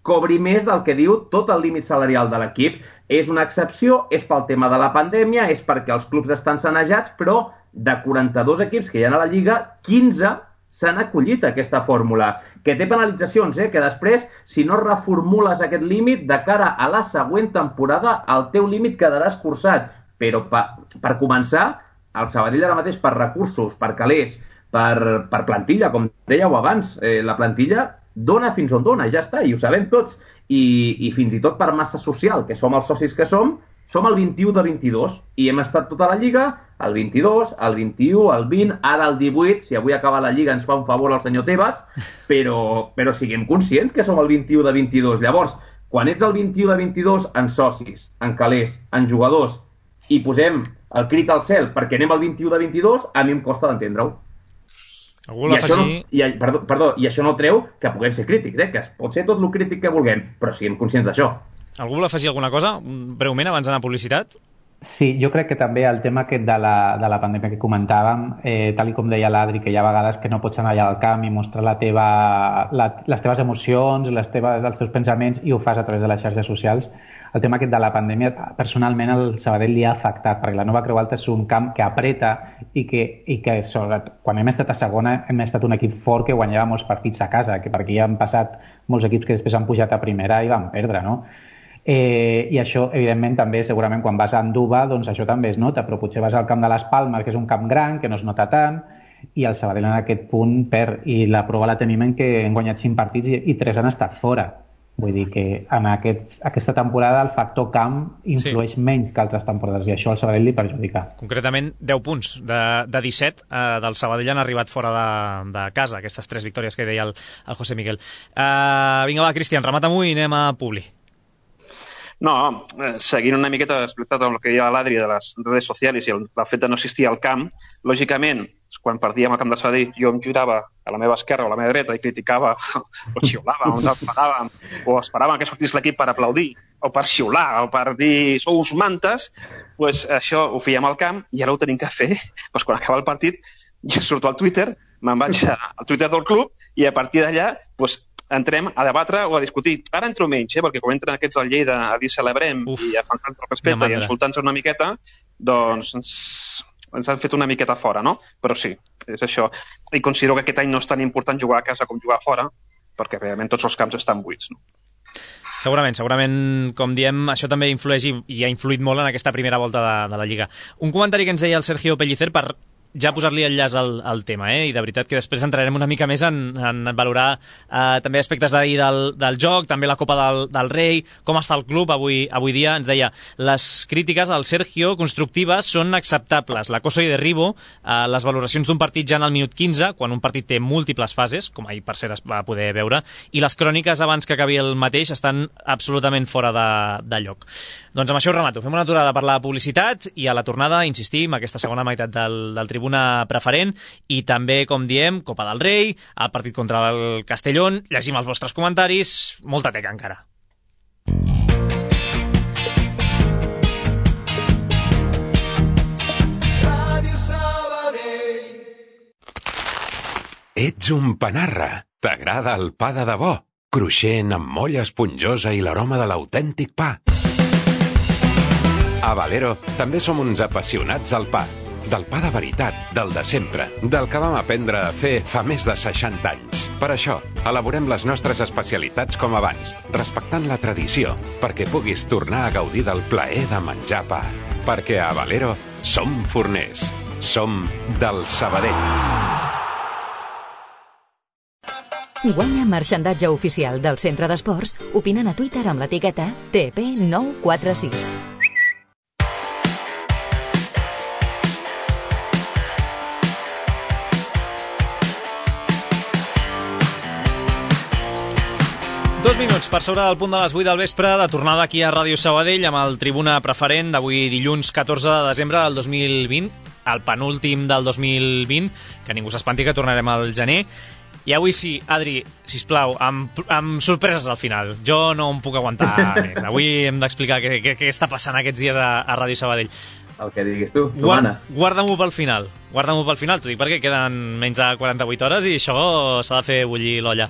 cobri més del que diu tot el límit salarial de l'equip. És una excepció, és pel tema de la pandèmia, és perquè els clubs estan sanejats, però de quaranta-dos equips que hi ha a la Lliga, quinze s'han acollit a aquesta fórmula, que té penalitzacions, eh? Que després, si no reformules aquest límit, de cara a la següent temporada, el teu límit quedarà escurçat. Però per, per començar, el Sabadell ara mateix per recursos, per calés, per, per plantilla, com dèieu abans, eh, la plantilla dona fins on dona, ja està, i ho sabem tots. I, i fins i tot per massa social, que som els socis que som, som el vint-i-u de vint-i-dos, i hem estat tota la Lliga, el vint-i-dos, el vint-i-u, el vint, ara el divuit, si avui acaba la Lliga ens fa un favor el senyor Tebas, però, però siguem conscients que som el vint-i-u de vint-i-dos. Llavors, quan ets el vint-i-u de vint-i-dos en socis, en calés, en jugadors, i posem el crit al cel perquè anem al vint-i-u de vint-i-dos, a mi em costa d'entendre-ho. Algú I, això no, i, perdó, perdó, I això no treu que puguem ser crítics, eh? Que es pot ser tot el crític que vulguem, però siguem conscients d'això. Algú vol afegir alguna cosa, breument, abans d'anar a publicitat? Sí, jo crec que també el tema aquest de la, de la pandèmia que comentàvem, eh, tal com deia l'Adri, que hi ha vegades que no pots anar allà al camp i mostrar la teva, la, les teves emocions, les teves, els teus pensaments, i ho fas a través de les xarxes socials. El tema aquest de la pandèmia, personalment, el Sabadell li ha afectat, perquè la Nova Creu Alta és un camp que apreta i que, i que sobretot, quan hem estat a segona, hem estat un equip fort que guanyava molts partits a casa, que perquè hi han passat molts equips que després han pujat a primera i van perdre, no? Eh, I això, evidentment, també, segurament, quan vas a Anduba, doncs això també es nota, però potser vas al camp de les Palmes, que és un camp gran, que no es nota tant, i el Sabadell en aquest punt perd, i la prova la tenim en que hem guanyat cinc partits i, i tres han estat fora. Vull dir que en aquest, aquesta temporada el factor camp influeix sí. menys que altres temporades, i això al Sabadell li perjudica. Concretament, deu punts de, de disset eh, del Sabadell han arribat fora de, de casa, aquestes tres victòries que deia el, el José Miguel. Uh, vinga, va, Cristian, remata-m'ho i anem a Publi. No, eh, seguint una miqueta explicat amb el que deia l'Adri de les redes socials i el, el fet de no assistir al camp, lògicament, quan perdíem al camp de Sabadell, jo em girava a la meva esquerra o a la meva dreta i criticava o xiulava, o ens enfadàvem, o esperàvem que sortís l'equip per aplaudir, o per xiular, o per dir sou uns mantes, pues això ho fèiem al camp i ara ho tenim que fer. Pues quan acaba el partit, jo surto al Twitter, me'n vaig al Twitter del club i a partir d'allà pues, entrem a debatre o a discutir. Ara entro menys, eh, perquè quan entren aquests al Lleida a dir celebrem Uf, i a fer-nos el respecte i insultant-nos una miqueta, doncs ens, ens han fet una miqueta fora, no? Però sí, és això. I considero que aquest any no és tan important jugar a casa com jugar a fora, perquè realment tots els camps estan buits, no? Segurament, segurament, com diem, això també influeix i, i ha influït molt en aquesta primera volta de, de la Lliga. Un comentari que ens deia el Sergio Pellicer per ja posar-li enllaç al, al tema, eh? I de veritat que després entrarem una mica més en, en valorar eh, també aspectes d'ahir del, del joc, també la Copa del, del Rei, com està el club avui, avui dia. Ens deia, les crítiques al Sergio constructives són acceptables. L'acoso i derribo, eh, les valoracions d'un partit ja en el minut quinze, quan un partit té múltiples fases, com ahir per cert es va poder veure, i les cròniques abans que acabi el mateix estan absolutament fora de, de lloc. Doncs amb això ho remato. Fem una aturada per la publicitat i a la tornada insistim aquesta segona meitat del, del Tribuna Preferent i també, com diem, Copa del Rei, el partit contra el Castellón, llegim els vostres comentaris, molta teca encara. Ets un panarra. T'agrada el pa de debò? Cruixent, amb molla esponjosa i l'aroma de l'autèntic pa. A Valero també som uns apassionats del pa. Del pa de veritat, del de sempre, del que vam aprendre a fer fa més de seixanta anys. Per això, elaborem les nostres especialitats com abans, respectant la tradició, perquè puguis tornar a gaudir del plaer de menjar pa. Perquè a Valero som forners. Som del Sabadell. Guanya marxandatge oficial del Centre d'Esports opinant a Twitter amb l'etiqueta T P nou quatre sis. Dos minuts per sobre del punt de les vuit del vespre, de tornada aquí a Ràdio Sabadell amb el Tribuna Preferent d'avui dilluns catorze de desembre del dos mil vint, el penúltim del dos mil vint, que ningú s'espanti que tornarem al gener. I avui sí, Adri, sisplau, amb, amb sorpreses al final. Jo no em puc aguantar més. Avui hem d'explicar què, què, què està passant aquests dies a, a Ràdio Sabadell. El que diguis tu, tu Guard, manes. Guarda-m'ho pel final. Guarda-m'ho pel final, t'ho dic perquè queden menys de quaranta-vuit hores i això s'ha de fer bullir l'olla.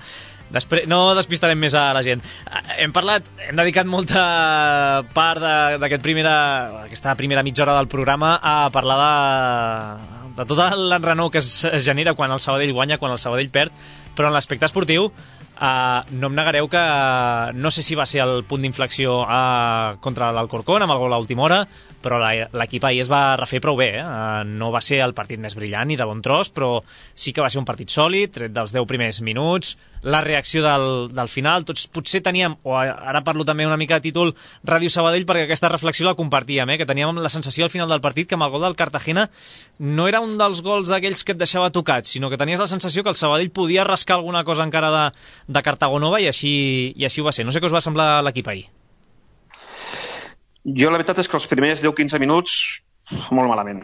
Després, no despistarem més a la gent. Hem parlat, hem dedicat molta part d'aquest primera, aquesta primera mitja hora del programa a parlar de, de tot l'enrenou que es genera quan el Sabadell guanya, quan el Sabadell perd, però en l'aspecte esportiu Uh, no em negareu que uh, no sé si va ser el punt d'inflexió uh, contra l'Alcorcón amb el gol a última hora, però l'equip ahir es va refer prou bé, eh? uh, no va ser el partit més brillant ni de bon tros, però sí que va ser un partit sòlid, tret dels deu primers minuts, la reacció del, del final. Tots potser teníem, o ara parlo també una mica de títol Ràdio Sabadell, perquè aquesta reflexió la compartíem, eh? que teníem la sensació al final del partit que amb el gol del Cartagena no era un dels gols d'aquells que et deixava tocat, sinó que tenies la sensació que el Sabadell podia rascar alguna cosa encara de de Cartagonova i així, i així ho va ser. No sé què us va semblar l'equip ahir. Jo la veritat és que els primers deu quinze minuts molt malament,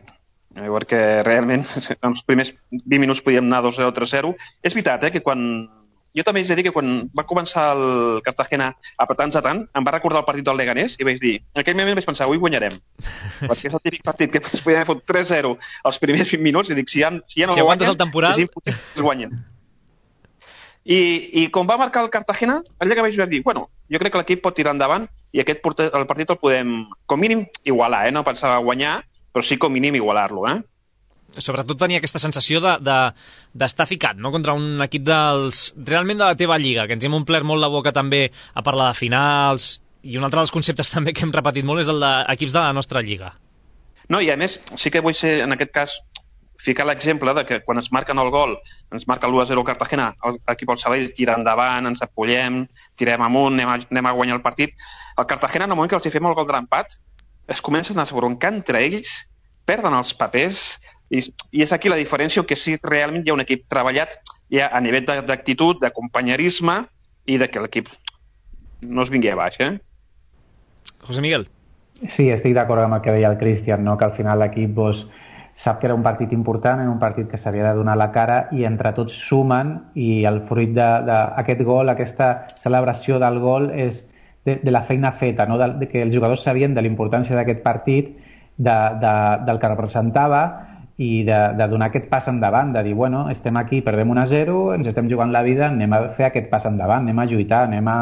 perquè realment en els primers vint minuts podíem anar dos zero tres zero. És veritat, eh, que quan... Jo també haig de dir que quan va començar el Cartagena a apretar-nos a tant, em va recordar el partit del Leganés i vaig dir, en aquell moment vaig pensar, avui guanyarem. Perquè és el típic partit que es podia haver fot tres zero als primers vint minuts i dic, si ja, si ja no si el guanyen, el temporal, és impossible que es guanyen. I, i com va marcar el Cartagena, allà que vaig dir, bueno, jo crec que l'equip pot tirar endavant i aquest portet, el partit el podem, com mínim, igualar, eh? No pensava guanyar, però sí com mínim igualar-lo, eh? Sobretot tenia aquesta sensació d'estar de, de, ficat, no?, contra un equip dels, realment de la teva lliga, que ens hem omplert molt la boca també a parlar de finals, i un altre dels conceptes també que hem repetit molt és el d'equips de la nostra lliga. No, i a més, sí que vull ser, en aquest cas, ficar l'exemple de que quan es marquen el gol, ens marca l'u a zero Cartagena, l'equip del Sabadell tira endavant, ens apoyem, tirem amunt, anem a, anem a guanyar el partit. El Cartagena, en el moment que els hi fem el gol de l'empat, es comencen a esbroncar entre ells, perden els papers, i, i és aquí la diferència que sí realment hi ha un equip treballat ja a nivell d'actitud, de companyerisme i de que l'equip no es vingui a baix, eh? José Miguel. Sí, estic d'acord amb el que deia el Cristian, no? Que al final l'equip pues, sap que era un partit important, era un partit que s'havia de donar la cara i entre tots sumen i el fruit d'aquest gol, aquesta celebració del gol és de, de la feina feta, no? de, de que els jugadors sabien de la importància d'aquest partit, de, de, del que representava i de, de donar aquest pas endavant, de dir, bueno, estem aquí, perdem un a zero, ens estem jugant la vida, anem a fer aquest pas endavant, anem a lluitar, anem a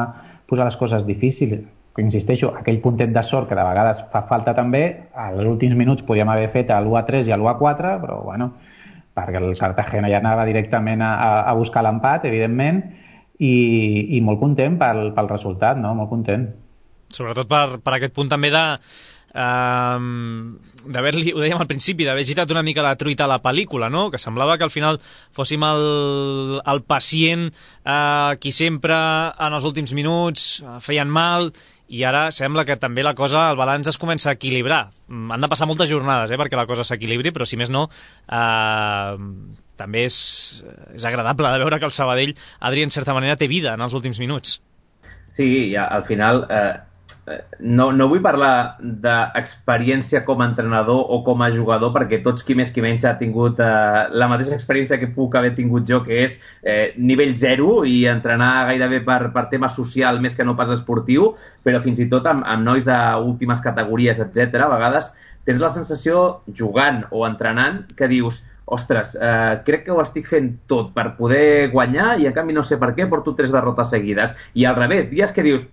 posar les coses difícils. Insisteixo, aquell puntet de sort que de vegades fa falta també, als últims minuts podíem haver fet l'u a tres i l'u a quatre, però bueno, perquè el Cartagena ja anava directament a, a buscar l'empat, evidentment, i, i molt content pel, pel resultat, no? Molt content. Sobretot per, per aquest punt també de um, d'haver-li, ho dèiem al principi, d'haver girat una mica la truita a la pel·lícula, no? Que semblava que al final fóssim el, el pacient uh, qui sempre en els últims minuts uh, feien mal, i ara sembla que també la cosa, el balanç es comença a equilibrar. Han de passar moltes jornades eh, perquè la cosa s'equilibri, però si més no eh, també és, és agradable de veure que el Sabadell, Adri, en certa manera té vida en els últims minuts. Sí, ja, al final eh, no, no vull parlar d'experiència com a entrenador o com a jugador, perquè tots qui més qui menys ha tingut eh, la mateixa experiència que puc haver tingut jo, que és eh, nivell zero i entrenar gairebé per, per tema social més que no pas esportiu, però fins i tot amb, amb nois d'últimes categories, etcètera, a vegades tens la sensació, jugant o entrenant, que dius, ostres, eh, crec que ho estic fent tot per poder guanyar i en canvi no sé per què porto tres derrotes seguides. I al revés, dies que dius,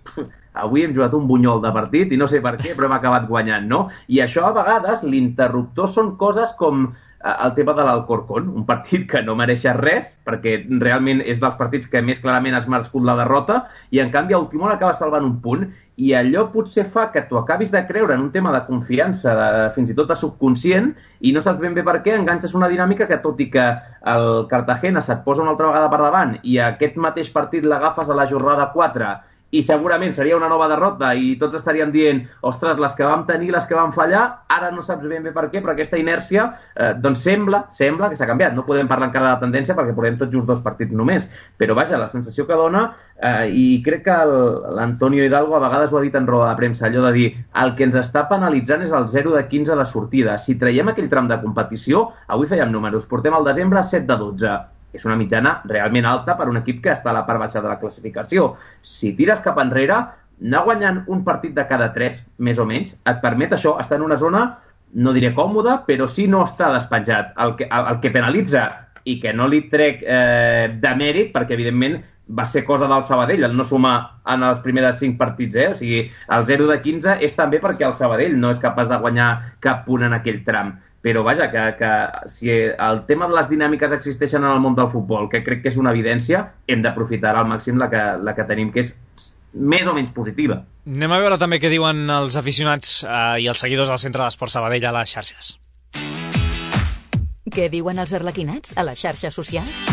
avui hem jugat un bunyol de partit i no sé per què, però hem acabat guanyant, no? I això a vegades, l'interruptor són coses com el tema de l'Alcorcón, un partit que no mereix res, perquè realment és dels partits que més clarament has merescut la derrota, i en canvi el Timón acaba salvant un punt, i allò potser fa que tu acabis de creure en un tema de confiança, de, fins i tot de subconscient, i no saps ben bé per què enganxes una dinàmica que, tot i que el Cartagena se't posa una altra vegada per davant i aquest mateix partit l'agafes a la jornada quatre i segurament seria una nova derrota i tots estaríem dient, ostres, les que vam tenir, les que vam fallar, ara no saps ben bé per què, però aquesta inèrcia, eh, doncs sembla, sembla que s'ha canviat. No podem parlar encara de la tendència perquè portem tots just dos partits només, però vaja, la sensació que dona, eh, i crec que l'Antonio Hidalgo a vegades ho ha dit en roda de premsa, allò de dir, el que ens està penalitzant és el zero de quinze de sortida. Si traiem aquell tram de competició, avui fèiem números, portem al desembre set de dotze. És una mitjana realment alta per un equip que està a la part baixa de la classificació. Si tires cap enrere, anar guanyant un partit de cada tres, més o menys, et permet això, estar en una zona, no diré còmoda, però sí no està despenjat. El que, el, el que penalitza, i que no li trec eh, de mèrit, perquè evidentment va ser cosa del Sabadell, el no sumar en els primers cinc partits, eh? O sigui, el zero de quinze és també perquè el Sabadell no és capaç de guanyar cap punt en aquell tram. Però vaja, que, que si el tema de les dinàmiques existeixen en el món del futbol, que crec que és una evidència, hem d'aprofitar al màxim la que, la que tenim, que és més o menys positiva. Anem a veure també què diuen els aficionats eh, i els seguidors del Centre d'Esports Sabadell a les xarxes. Què diuen els arlequinats a les xarxes socials?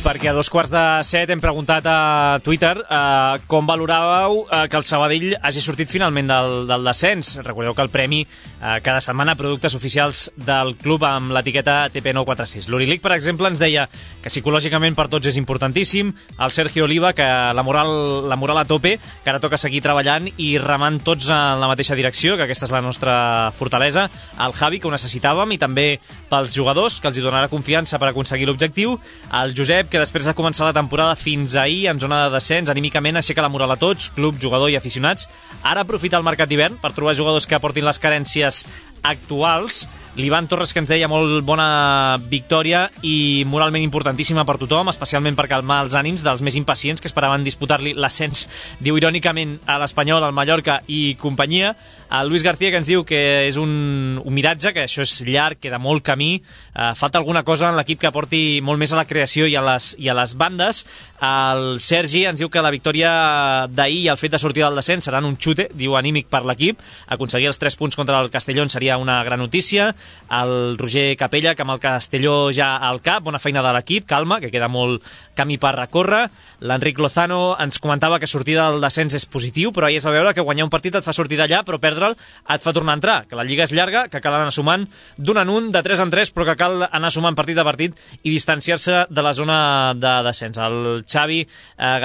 Perquè a dos quarts de set hem preguntat a Twitter eh, com valoràveu eh, que el Sabadell hagi sortit finalment del, del descens. Recordeu que el premi eh, cada setmana productes oficials del club amb l'etiqueta T P nou quatre sis. L'Urilic, per exemple, ens deia que psicològicament per tots és importantíssim. El Sergio Oliva, que la moral, la moral a tope, que ara toca seguir treballant i remant tots en la mateixa direcció, que aquesta és la nostra fortalesa. El Javi, que ho necessitàvem, i també pels jugadors, que els hi donarà confiança per aconseguir l'objectiu. El Josep, que després de començar la temporada fins ahir en zona de descens, anímicament aixeca la moral a tots, club, jugador i aficionats. Ara aprofita el mercat d'hivern per trobar jugadors que aportin les carències actuals. L'Ivan Torres, que ens deia molt bona victòria i moralment importantíssima per tothom, especialment per calmar els ànims dels més impacients que esperaven disputar-li l'ascens, diu irònicament, a l'Espanyol, al Mallorca i companyia. El Luis García, que ens diu que és un, un miratge, que això és llarg, queda molt camí, eh, falta alguna cosa en l'equip que aporti molt més a la creació i a les, i a les bandes. El Sergi ens diu que la victòria d'ahir i el fet de sortir del descens seran un xute, diu, anímic per l'equip. Aconseguir els tres punts contra el Castellón seria una gran notícia. El Roger Capella, que amb el Castelló ja al cap, bona feina de l'equip, calma, que queda molt camí per recórrer. L'Enric Lozano ens comentava que sortir del descens és positiu, però ahir es va veure que guanyar un partit et fa sortir d'allà, però perdre'l et fa tornar a entrar, que la Lliga és llarga, que cal anar sumant d'un en un, de tres en tres, però que cal anar sumant partit a partit i distanciar-se de la zona de descens. El Xavi eh,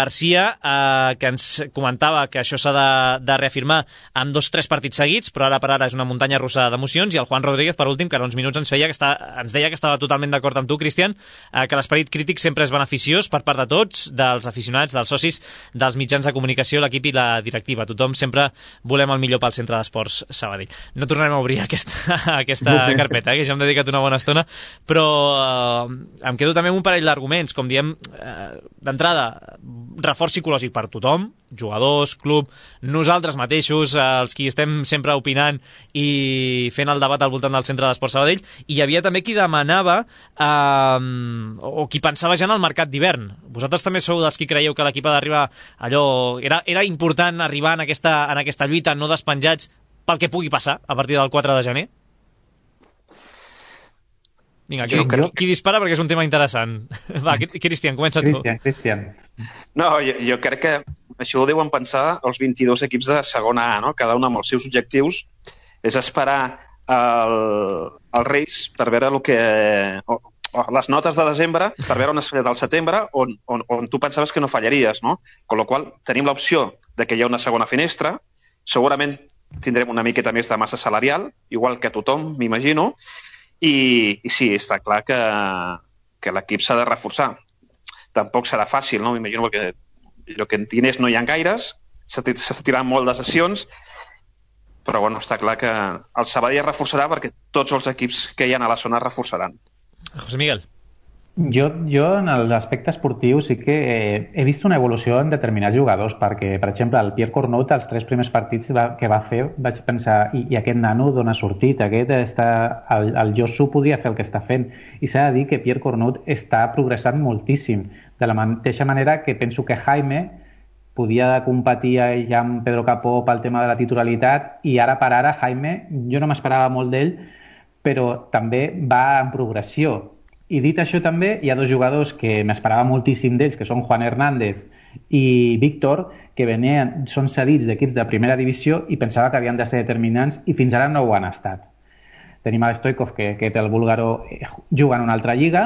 Garcia, eh, que ens comentava que això s'ha de, de reafirmar amb dos tres partits seguits, però ara per ara és una muntanya russa d'emocions, i el Juan Rodríguez, per últim, que ara uns minuts ens feia que està, ens deia que estava totalment d'acord amb tu, Cristian, eh, que l'esperit crític sempre és beneficiós per part de tots, dels aficionats, dels socis, dels mitjans de comunicació, l'equip i la directiva. Tothom sempre volem el millor pel Centre d'Esports Sabadell. No tornarem a obrir aquesta, aquesta carpeta, eh, que ja hem dedicat una bona estona, però eh, em quedo també amb un parell d'arguments, com diem, eh, d'entrada, reforç psicològic per tothom, jugadors, club, nosaltres mateixos, els qui estem sempre opinant i fent el debat al voltant del Centre d'Esports Sabadell, i hi havia també qui demanava eh, o qui pensava ja en el mercat d'hivern. Vosaltres també sou dels qui creieu que l'equip ha d'arribar allò... Era, era important arribar en aquesta, en aquesta lluita, no despenjats pel que pugui passar a partir del quatre de gener? Vinga, qui, qui, qui dispara perquè és un tema interessant. Va, Cristian, comença tu. Cristian, Cristian. No, jo, jo crec que això ho deuen pensar els vint-i-dos equips de segona A, no? Cada un amb els seus objectius. És esperar el, el Reis per veure el que... O, o les notes de desembre per veure on es farà el setembre on, on, on tu pensaves que no fallaries, no? Con la qual tenim l'opció de que hi ha una segona finestra, segurament tindrem una miqueta més de massa salarial, igual que tothom, m'imagino, I, i sí, està clar que, que l'equip s'ha de reforçar. Tampoc serà fàcil, no? M'imagino que el que en diners no hi ha gaires, s'està tirant molt de sessions, però bueno, està clar que el Sabadell es reforçarà perquè tots els equips que hi ha a la zona es reforçaran. José Miguel. Jo, jo en l'aspecte esportiu sí que eh, he vist una evolució en determinats jugadors, perquè, per exemple, el Pierre Cornut, els tres primers partits va, que va fer, vaig pensar, i, i aquest nano d'on ha sortit? Aquest està, el, el Josu podria fer el que està fent. I s'ha de dir que Pierre Cornut està progressant moltíssim. De la mateixa manera que penso que Jaime podia competir ja amb Pedro Capó pel tema de la titularitat, i ara per ara Jaime, jo no m'esperava molt d'ell, però també va en progressió. I dit això també, hi ha dos jugadors que m'esperava moltíssim d'ells, que són Juan Hernández i Víctor, que venien, són cedits d'equips de primera divisió i pensava que havien de ser determinants i fins ara no ho han estat. Tenim a Stoikov, que, que té el búlgaro, juga en una altra lliga,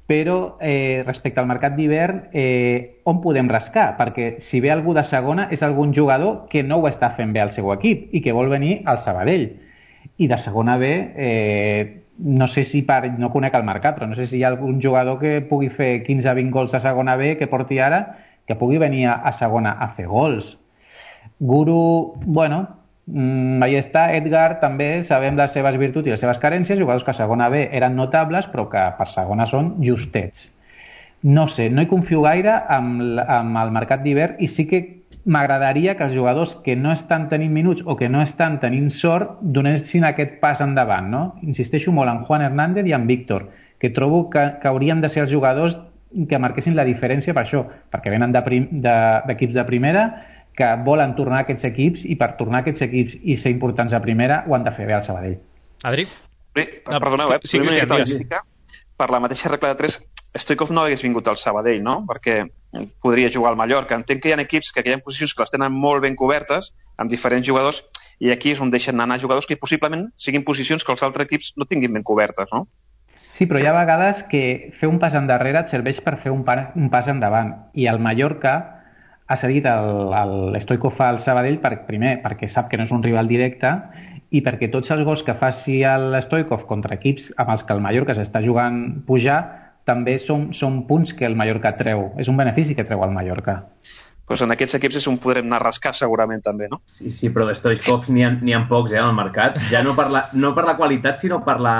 però eh, respecte al mercat d'hivern, eh, on podem rascar? Perquè si ve algú de segona és algun jugador que no ho està fent bé al seu equip i que vol venir al Sabadell. I de segona B... Eh, no sé si per, no conec el mercat, però no sé si hi ha algun jugador que pugui fer quinze a vint gols a segona B que porti ara, que pugui venir a segona a fer gols. Guru, bueno, mmm, ahí està. Edgar, també sabem les seves virtuts i les seves carències, jugadors que a segona B eren notables, però que per segona són justets. No sé, no hi confio gaire amb, amb el mercat d'hivern, i sí que m'agradaria que els jugadors que no estan tenint minuts o que no estan tenint sort donessin aquest pas endavant, no? Insisteixo molt en Juan Hernández i en Víctor, que trobo que, que haurien de ser els jugadors que marquessin la diferència per això, perquè venen d'equips de, de, de primera, que volen tornar a aquests equips, i per tornar a aquests equips i ser importants a primera ho han de fer bé al Sabadell. Adri? Sí, perdoneu, eh? Sí, Cristian, digues. Per la mateixa regla de tres, Stoikov no hagués vingut al Sabadell, no? Perquè podria jugar al Mallorca. Entenc que hi ha equips que hi ha posicions que les tenen molt ben cobertes, amb diferents jugadors, i aquí és on deixen anar jugadors que possiblement siguin posicions que els altres equips no tinguin ben cobertes, no? Sí, però hi ha vegades que fer un pas endarrere et serveix per fer un pas, un pas endavant. I el Mallorca ha cedit l'Stoikov al Sabadell per, primer perquè sap que no és un rival directe, i perquè tots els gols que faci l'Stoikov contra equips amb els que el Mallorca s'està jugant pujar també són, són punts que el Mallorca treu. És un benefici que treu el Mallorca. Pues en aquests equips és on podrem anar a rascar segurament també, no? Sí, sí, però de Stoikovs n'hi ha, n'hi ha pocs, eh, al mercat. Ja no per la, no per la qualitat, sinó per, la,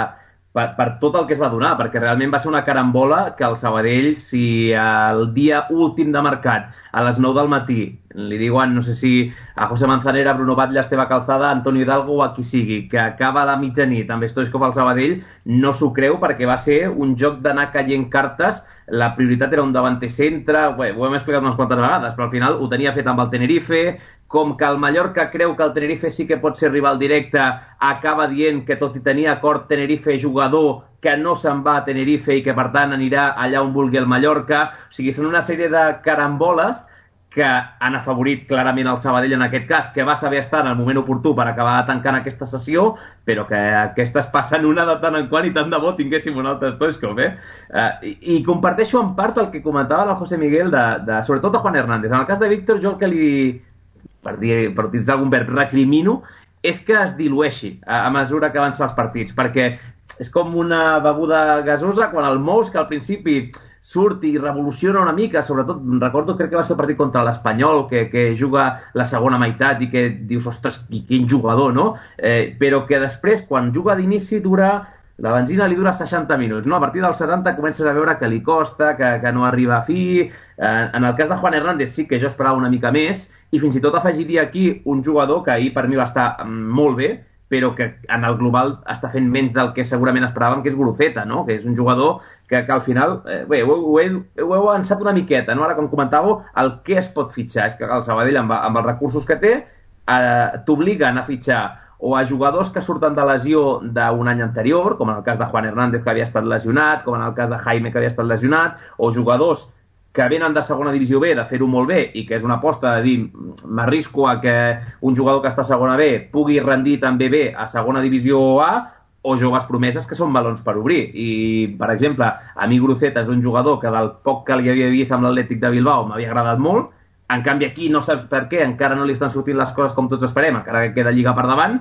per, per tot el que es va donar, perquè realment va ser una carambola que el Sabadell, si el dia últim de mercat, a les nou del matí, li diuen, no sé si a José Manzanera, Bruno Batlle, Esteve Calzada, Antonio Hidalgo o a qui sigui, que acaba a la mitjanit amb Stoichkov al Sabadell, no s'ho creu, perquè va ser un joc d'anar caient cartes. La prioritat era un davanter centre, bé, ho hem explicat unes quantes vegades, però al final ho tenia fet amb el Tenerife. Com que el Mallorca creu que el Tenerife sí que pot ser rival directe, acaba dient que tot i tenir acord Tenerife jugador, que no se'n va a Tenerife i que per tant anirà allà on vulgui el Mallorca. O sigui, són una sèrie de caramboles que han afavorit clarament el Sabadell en aquest cas, que va saber estar en el moment oportú per acabar tancant aquesta sessió, però que aquestes passen una de tant en quant, i tant de bo tinguéssim un altre Stoichkov, eh? Uh, i, I comparteixo en part el que comentava el José Miguel, de, de, sobretot a Juan Hernández. En el cas de Víctor, jo el que li, per, dir, per utilitzar algun verb, recrimino, és que es dilueixi a, a mesura que avancen els partits, perquè és com una beguda gasosa quan el mous, que al principi surt i revoluciona una mica, sobretot, recordo, crec que va ser el partit contra l'Espanyol, que, que juga la segona meitat i que dius, ostres, quin jugador, no? Eh, però que després, quan juga d'inici, dura la benzina li dura seixanta minuts, no? A partir dels setanta comences a veure que li costa, que, que no arriba a fi. Eh, en el cas de Juan Hernández sí que jo esperava una mica més, i fins i tot afegiria aquí un jugador que ahir per mi va estar molt bé, però que en el global està fent menys del que segurament esperàvem, que és Guruceta, no? Que és un jugador que, que al final, eh, bé, ho, ho, he, ho heu avançat una miqueta, no? Ara, com comentàveu, el què es pot fitxar és que el Sabadell, amb, amb els recursos que té, eh, t'obliguen a fitxar o a jugadors que surten de lesió d'un any anterior, com en el cas de Juan Hernández, que havia estat lesionat, com en el cas de Jaime, que havia estat lesionat, o jugadors que venen de segona divisió B, de fer-ho molt bé, i que és una aposta de dir, m'arrisco a que un jugador que està a segona B pugui rendir també bé a segona divisió A, o joves promeses que són balons per obrir. I, per exemple, a mi Guruceta és un jugador que del poc que li havia vist amb l'Atlètic de Bilbao m'havia agradat molt. En canvi, aquí no saps per què, encara no li estan sortint les coses com tots esperem, encara que queda Lliga per davant,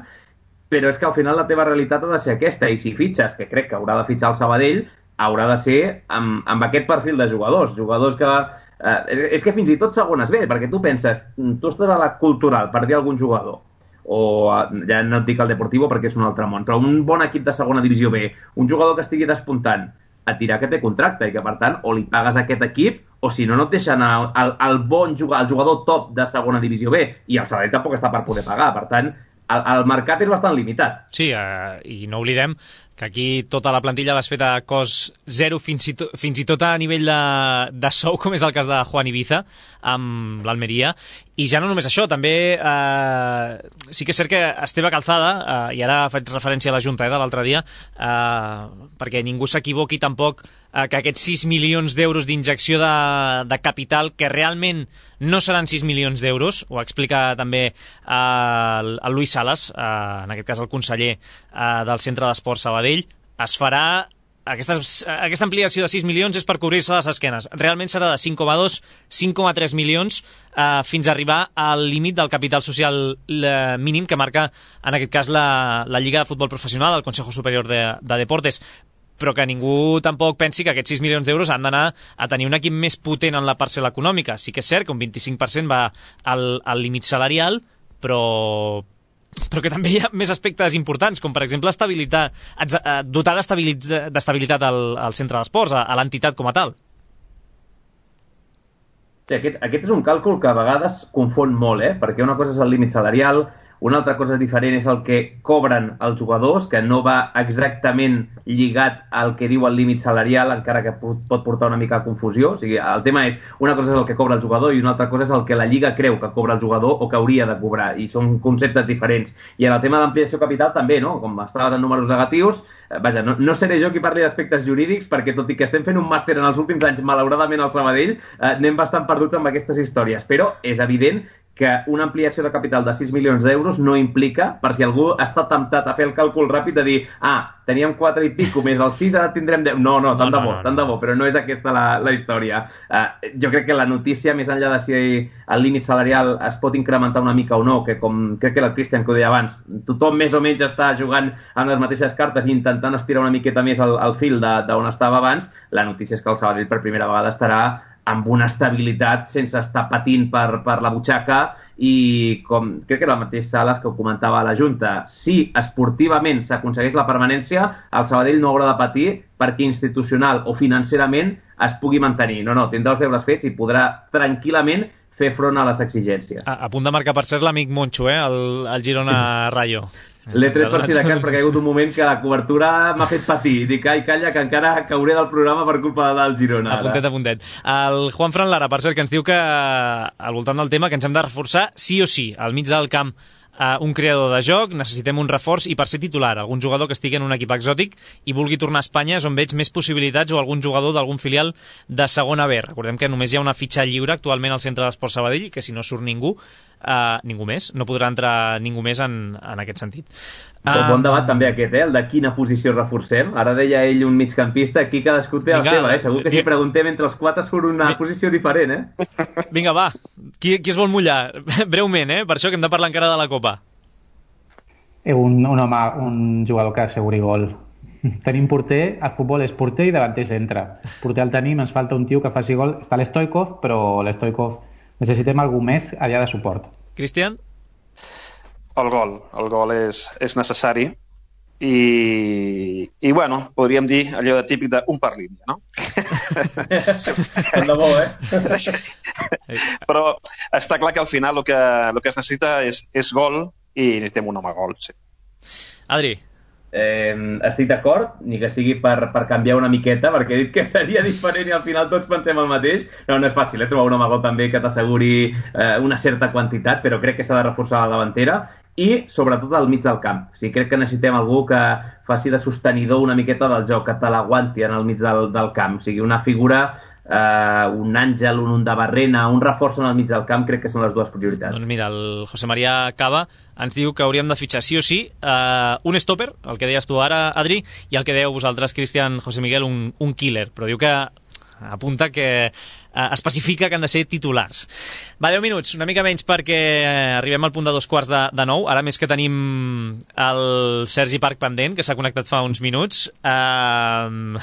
però és que al final la teva realitat ha de ser aquesta, i si fitxes, que crec que haurà de fitxar el Sabadell, haurà de ser amb, amb aquest perfil de jugadors, jugadors que... Eh, és que fins i tot segones bé, perquè tu penses, tu estàs a la Cultural, per dir algun jugador, o ja no et dic el Deportivo perquè és un altre món, però un bon equip de segona divisió B, un jugador que estigui despuntant, a tirar que té contracte i que, per tant, o li pagues a aquest equip o si no, no et deixen el, el, el bon jugador, el jugador top de segona divisió B, i el Sabadell tampoc està per poder pagar. Per tant, el, el mercat és bastant limitat. Sí, eh, i no oblidem que aquí tota la plantilla l'has fet a cost zero, fins i, to, fins i tot a nivell de, de sou, com és el cas de Juan Ibiza amb l'Almeria. I ja no només això, també eh, sí que és cert que Esteve Calzada, eh, i ara faig referència a la Junta eh, de l'altre dia, eh, perquè ningú s'equivoqui tampoc, eh, que aquests sis milions d'euros d'injecció de, de capital, que realment no seran sis milions d'euros, ho explica també eh, el, el Luis Salas, eh, en aquest cas el conseller eh, del Centre d'Esport Sabadell, es farà... Aquesta, aquesta ampliació de sis milions és per cobrir-se les esquenes. Realment serà de cinc coma dos, cinc coma tres milions eh, fins a arribar al límit del capital social eh, mínim que marca, en aquest cas, la, la Lliga de Futbol Professional, el Consejo Superior de, de Deportes. Però que ningú tampoc pensi que aquests sis milions d'euros han d'anar a tenir un equip més potent en la parcel·la econòmica. Sí que és cert que un vint-i-cinc per cent va al, al límit salarial, però... però que també hi ha més aspectes importants, com per exemple estabilitat, dotar d'estabilitat al, al centre d'esports, a, a l'entitat com a tal. Sí, aquest, aquest és un càlcul que a vegades confon molt, eh? Perquè una cosa és el límit salarial, una altra cosa diferent és el que cobren els jugadors, que no va exactament lligat al que diu el límit salarial, encara que pot portar una mica a confusió. O sigui, el tema és, una cosa és el que cobra el jugador i una altra cosa és el que la Lliga creu que cobra el jugador o que hauria de cobrar, i són conceptes diferents. I en el tema d'ampliació capital també, no? Com estaves en números negatius, eh, vaja, no, no seré jo qui parli d'aspectes jurídics, perquè tot i que estem fent un màster en els últims anys, malauradament al Sabadell, eh, anem bastant perduts amb aquestes històries, però és evident que una ampliació de capital de sis milions d'euros no implica, per si algú està temptat a fer el càlcul ràpid de dir, ah, teníem quatre i pico més el sis, ara tindrem deu. No, no, tant no, de bo, no, no, tant de bo, però no és aquesta la, la història. Uh, jo crec que la notícia, més enllà de si el límit salarial es pot incrementar una mica o no, que com crec que el Cristian que ho deia abans, tothom més o menys està jugant amb les mateixes cartes i intentant estirar una miqueta més el, el fil d'on estava abans, la notícia és que el Sabadell per primera vegada estarà amb una estabilitat sense estar patint per, per la butxaca, i com crec que era el mateix Salas que ho comentava a la Junta, si esportivament s'aconsegueix la permanència, el Sabadell no haurà de patir perquè institucional o financerament es pugui mantenir. No, no, tindrà els deures fets i podrà tranquil·lament fer front a les exigències. A, a punt de marcar, per cert, l'amic Moncho, eh? el, el Girona Rayo. L'he tret per si de cas perquè hi ha hagut un moment que la cobertura m'ha fet patir. Dic, ai, calla, que encara cauré del programa per culpa del Girona. A puntet, a puntet. El Juan Fran Lara, per cert, que ens diu que al voltant del tema que ens hem de reforçar sí o sí, al mig del camp, Uh, un creador de joc, necessitem un reforç i per ser titular, algun jugador que estigui en un equip exòtic i vulgui tornar a Espanya és on veig més possibilitats, o algun jugador d'algun filial de segona B. Recordem que només hi ha una fitxa lliure actualment al Centre d'Esport Sabadell, que si no surt ningú, uh, ningú més, no podrà entrar ningú més en, en aquest sentit. Um... Bon debat també aquest, eh? El de quina posició reforcem. Ara deia ell un migcampista, aquí cadascú té la seva, eh? Segur que si preguntem entre els quatre surt una Vinga. posició diferent, eh? Vinga, va, qui, qui es vol mullar? Breument, eh? Per això que hem de parlar encara de la Copa. Un, un home, un jugador que asseguri gol. Tenim porter, el futbol és porter i davanter centre. Porter el tenim, ens falta un tio que faci gol. Està l'Stoikov, però l'Stoikov necessitem algú més allà de suport. Cristian? El gol. El gol és, és necessari i, i bueno, podríem dir allò de típic d'un per línia, no? Tant de bo, eh? Però està clar que al final el que, el que es necessita és, és gol i necessitem un home gol, sí. Adri. Eh, estic d'acord, ni que sigui per, per canviar una miqueta, perquè he dit que seria diferent i al final tots pensem el mateix. No, no és fàcil, eh, trobar un home gol també que t'asseguri eh, una certa quantitat, però crec que s'ha de reforçar la davantera i sobretot al mig del camp. O sigui, crec que necessitem algú que faci de sostenidor una miqueta del joc, que te l'aguanti en el mig del, del camp. O sigui, una figura, eh, un àngel, un, un de barrena, un reforç en el mig del camp, crec que són les dues prioritats. Doncs mira, el José María Cava ens diu que hauríem de fitxar sí o sí uh, un stopper, el que deies tu ara, Adri, i el que dèieu vosaltres, Cristian, José Miguel, un, un killer, però diu que apunta que uh, especifica que han de ser titulars. Va, deu minuts, una mica menys perquè arribem al punt de dos quarts de, de nou, ara més que tenim el Sergi Parc pendent, que s'ha connectat fa uns minuts. Uh,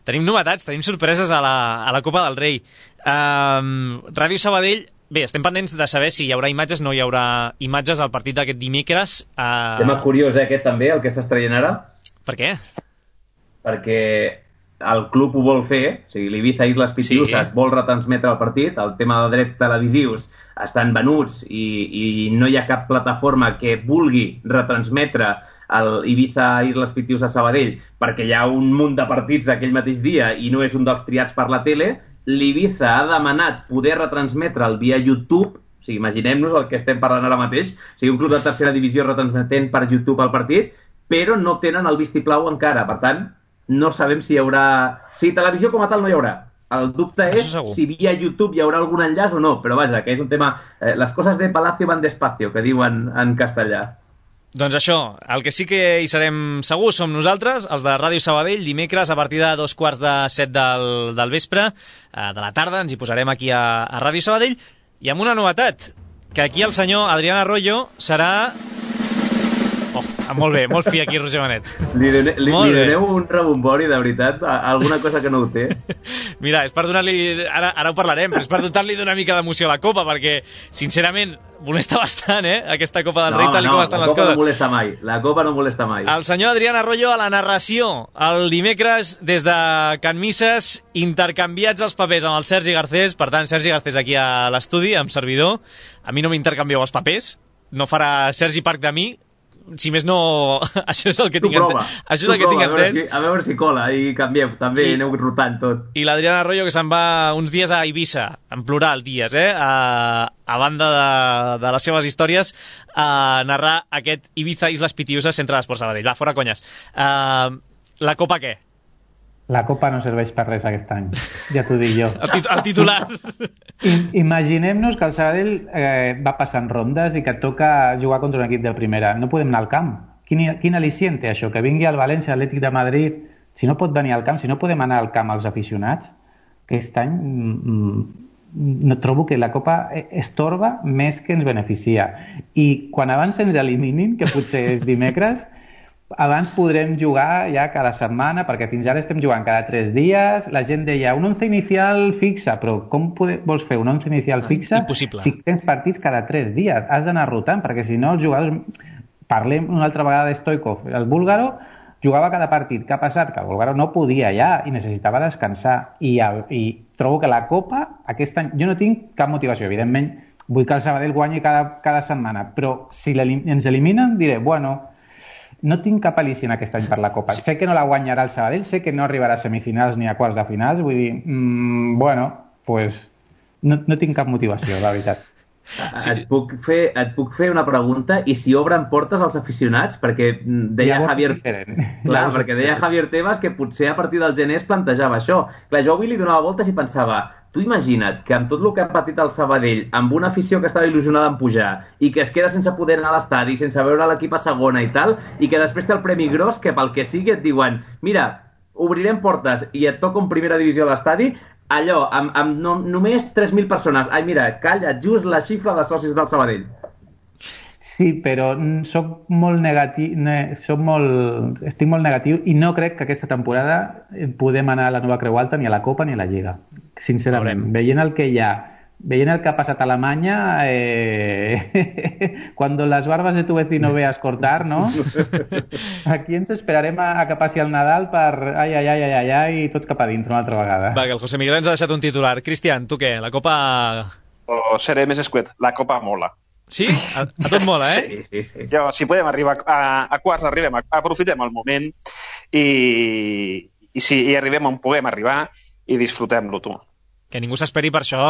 tenim novetats, tenim sorpreses a la, a la Copa del Rei. Uh, Ràdio Sabadell. Bé, estem pendents de saber si hi haurà imatges, no hi haurà imatges al partit d'aquest dimecres. Uh... Tema curiós, eh, aquest també, el que estàs traient ara. Per què? Perquè el club ho vol fer, o sigui, l'Ibiza Islas Pitiusas sí. vol retransmetre el partit, el tema de drets televisius estan venuts i, i no hi ha cap plataforma que vulgui retransmetre el Ibiza Islas Pitiusas Sabadell perquè hi ha un munt de partits aquell mateix dia i no és un dels triats per la tele. L'Ibiza ha demanat poder retransmetre'l via YouTube, o sigui, imaginem-nos el que estem parlant ara mateix, o sigui, un club de tercera divisió retransmetent per YouTube el partit, però no tenen el vistiplau encara, per tant, no sabem si hi haurà... O sigui, televisió com a tal no hi haurà. El dubte és si via YouTube hi haurà algun enllaç o no, però vaja, que és un tema... Eh, les coses de Palacio van despacio, que diuen en castellà. Doncs això, el que sí que hi serem segurs som nosaltres, els de Ràdio Sabadell, dimecres a partir de dos quarts de set del, del vespre, eh, de la tarda, ens hi posarem aquí a, a Ràdio Sabadell, i amb una novetat, que aquí el senyor Adrián Arroyo serà... Oh, molt bé, molt fi aquí, Roger Benet. Li, done, li, li doneu un rebombori, de veritat, alguna cosa que no ho té? Mira, és per donar-li... Ara, ara ho parlarem, però és per dotar-li d'una mica d'emoció a la Copa, perquè, sincerament, molesta bastant, eh, aquesta Copa del no, Rei, tal no, com estan les coses. No, la Copa no molesta mai, la Copa no molesta mai. El senyor Adrián Arroyo a la narració, el dimecres, des de Can Misses, intercanviats els papers amb el Sergi Garcés, per tant, Sergi Garcés aquí a l'estudi, amb servidor. A mi no m'intercanvieu els papers, no farà Sergi Parc de mi, si més no, això és el que tu tinc entès. Això és el que tinc entès. Si, a veure si cola i canviem, també I, aneu rotant tot. I l'Adrián Arroyo, que se'n va uns dies a Eivissa, en plural dies, eh? A, a banda de, de les seves històries, a narrar aquest Ibiza Islas Pitiusas Centre d'Esports Sabadell. Va, fora conyes. Uh, la Copa què? La Copa no serveix per res aquest any, ja t'ho dic jo. El, tit el titular. I, imaginem-nos que el Sabadell eh, va passant rondes i que et toca jugar contra un equip de primera. No podem anar al camp. Quin, quin al·licient té això? Que vingui al València, Atlètic de Madrid... Si no pot venir al camp, si no podem anar al camp els aficionats, aquest any mm, no trobo que la Copa estorba més que ens beneficia. I quan abans ens eliminin, que potser és dimecres... Abans podrem jugar ja cada setmana, perquè fins ara estem jugant cada tres dies. La gent deia, un once inicial fixa, però com pode... vols fer un once inicial fixa Impossible. Si tens partits cada tres dies? Has d'anar rotant, perquè si no els jugadors... Parlem una altra vegada de Stoikov. El búlgaro jugava cada partit. Què ha passat? Que el búlgaro no podia ja i necessitava descansar. I, i trobo que la Copa, aquest any... Jo no tinc cap motivació, evidentment. Vull que el Sabadell guanyi cada, cada setmana, però si ens eliminen diré, bueno... No tinc cap al·licient aquest any per la Copa. Sí. Sé que no la guanyarà el Sabadell, sé que no arribarà a semifinals ni a quarts de finals, vull dir, mmm, bueno, pues no, no tinc cap motivació, la veritat. Sí. Et, puc fer, et puc fer una pregunta? I si obren portes als aficionats? Perquè deia Llavors Javier... Clar, perquè deia Javier Tebas que potser a partir del gener es plantejava això. Clar, jo avui li donava voltes i pensava... Tu imagina't que amb tot el que ha patit el Sabadell, amb una afició que estava il·lusionada en pujar i que es queda sense poder anar a l'estadi, sense veure l'equip a segona i tal, i que després té el premi gros que pel que sigui et diuen mira, obrirem portes i et toca en primera divisió a l'estadi, allò, amb, amb no, només tres mil persones. Ai, mira, calla, just la xifra de socis del Sabadell. Sí, però soc molt negatiu, soc molt, estic molt negatiu i no crec que aquesta temporada podem anar a la Nova Creu Alta ni a la Copa ni a la Lliga. Sincerament, veient el que hi ha, veient el que ha passat a Alemanya, eh... cuando las barbas de tu vecino veas cortar, ¿no? Aquí ens esperarem a, a que passi el Nadal per ai, ai, ai, ai, ai, ai, i tots cap a dintre una altra vegada. Va, que el José Miguel ens ha deixat un titular. Cristian, tu què? La Copa... O seré més escuet, la Copa mola. Sí? A, a tot mola, eh? Sí, sí, sí. Jo, si podem arribar a, a quarts, arribem, a, aprofitem el moment i, i si i arribem on puguem arribar i disfrutem-lo, tu. Que ningú s'esperi per això,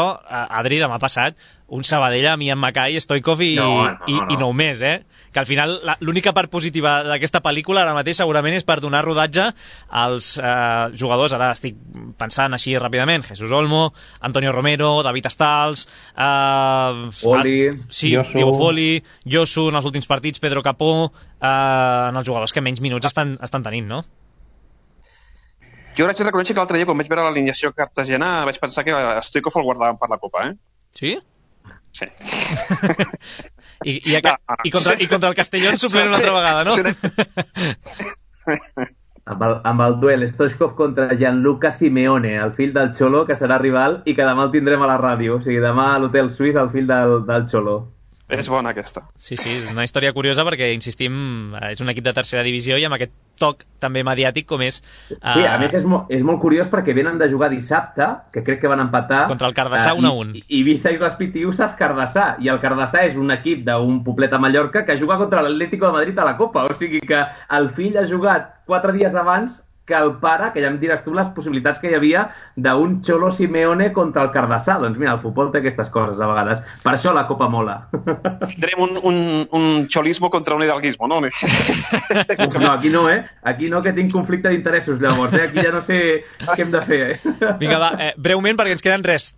Adri, demà passat, un Sabadell amb Ian Mackay, Stoikov i, no, no, i, no. i nou més, eh? Que al final l'única part positiva d'aquesta pel·lícula ara mateix segurament és per donar rodatge als eh, jugadors, ara estic pensant així ràpidament, Jesús Olmo, Antonio Romero, David Stals, eh, Foli, sí, Yosu. Diego Foli, Yosu en els últims partits, Pedro Capó, eh, en els jugadors que menys minuts estan, estan tenint, no? Jo haig de reconèixer que l'altre dia, quan vaig veure l'alineació cartagena, vaig pensar que Stoikov el guardaven per la Copa, eh? Sí? Sí. I, i, aquest, No, no, no. i, contra, i contra el Castellón suplent una altra vegada, no? amb el, amb el duel Stoichkov contra Gianluca Simeone, el fill del Xolo, que serà rival i que demà el tindrem a la ràdio. O sigui, demà a l'Hotel Suís, el fill del, del Xolo. És bona, aquesta. Sí, sí, és una història curiosa perquè, insistim, és un equip de tercera divisió i amb aquest toc també mediàtic com és... Uh... Sí, a més és, mo és molt curiós perquè venen de jugar dissabte, que crec que van empatar... Contra el Cardassà uh, un a un. I, i Ibiza i les Pitiusses Cardassà. I el Cardassà és un equip d'un poblet a Mallorca que juga contra l'Atlético de Madrid a la Copa. O sigui que el fill ha jugat quatre dies abans que el pare, que ja em diràs tu les possibilitats que hi havia d'un Xolo Simeone contra el Cardassà. Doncs mira, el futbol té aquestes coses a vegades. Per això la Copa mola. Tindrem un, un, un xolismo contra un hidalguismo, no? Uf, no, aquí no, eh? Aquí no, que tinc conflicte d'interessos, llavors, eh? Aquí ja no sé què hem de fer, eh? Vinga, va, eh, breument, perquè ens queden res,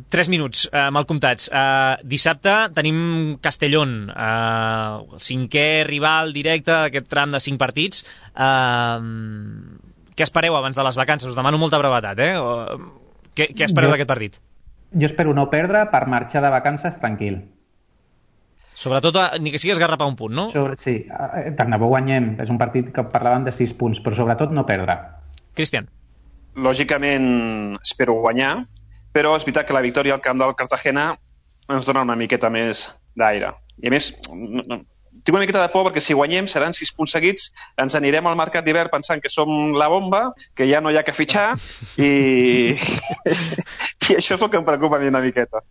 tres minuts eh, mal comptats. Eh, dissabte tenim Castellón, eh, el cinquè rival directe d'aquest tram de cinc partits. Eh, què espereu abans de les vacances? Us demano molta brevetat, eh? O, què, què espereu d'aquest partit? Jo espero no perdre per marxar de vacances tranquil. Sobretot, ni que sigui esgarrapar un punt, no? Sobre, sí, tant de bo guanyem. És un partit que parlaven de sis punts, però sobretot no perdre. Cristian. Lògicament espero guanyar, però és veritat que la victòria al camp del Cartagena ens dona una miqueta més d'aire. I a més, no, no, tinc una miqueta de por perquè si guanyem seran sis punts seguits, ens anirem al mercat d'hivern pensant que som la bomba, que ja no hi ha que fitxar i, i això és el que em preocupa a mi una miqueta.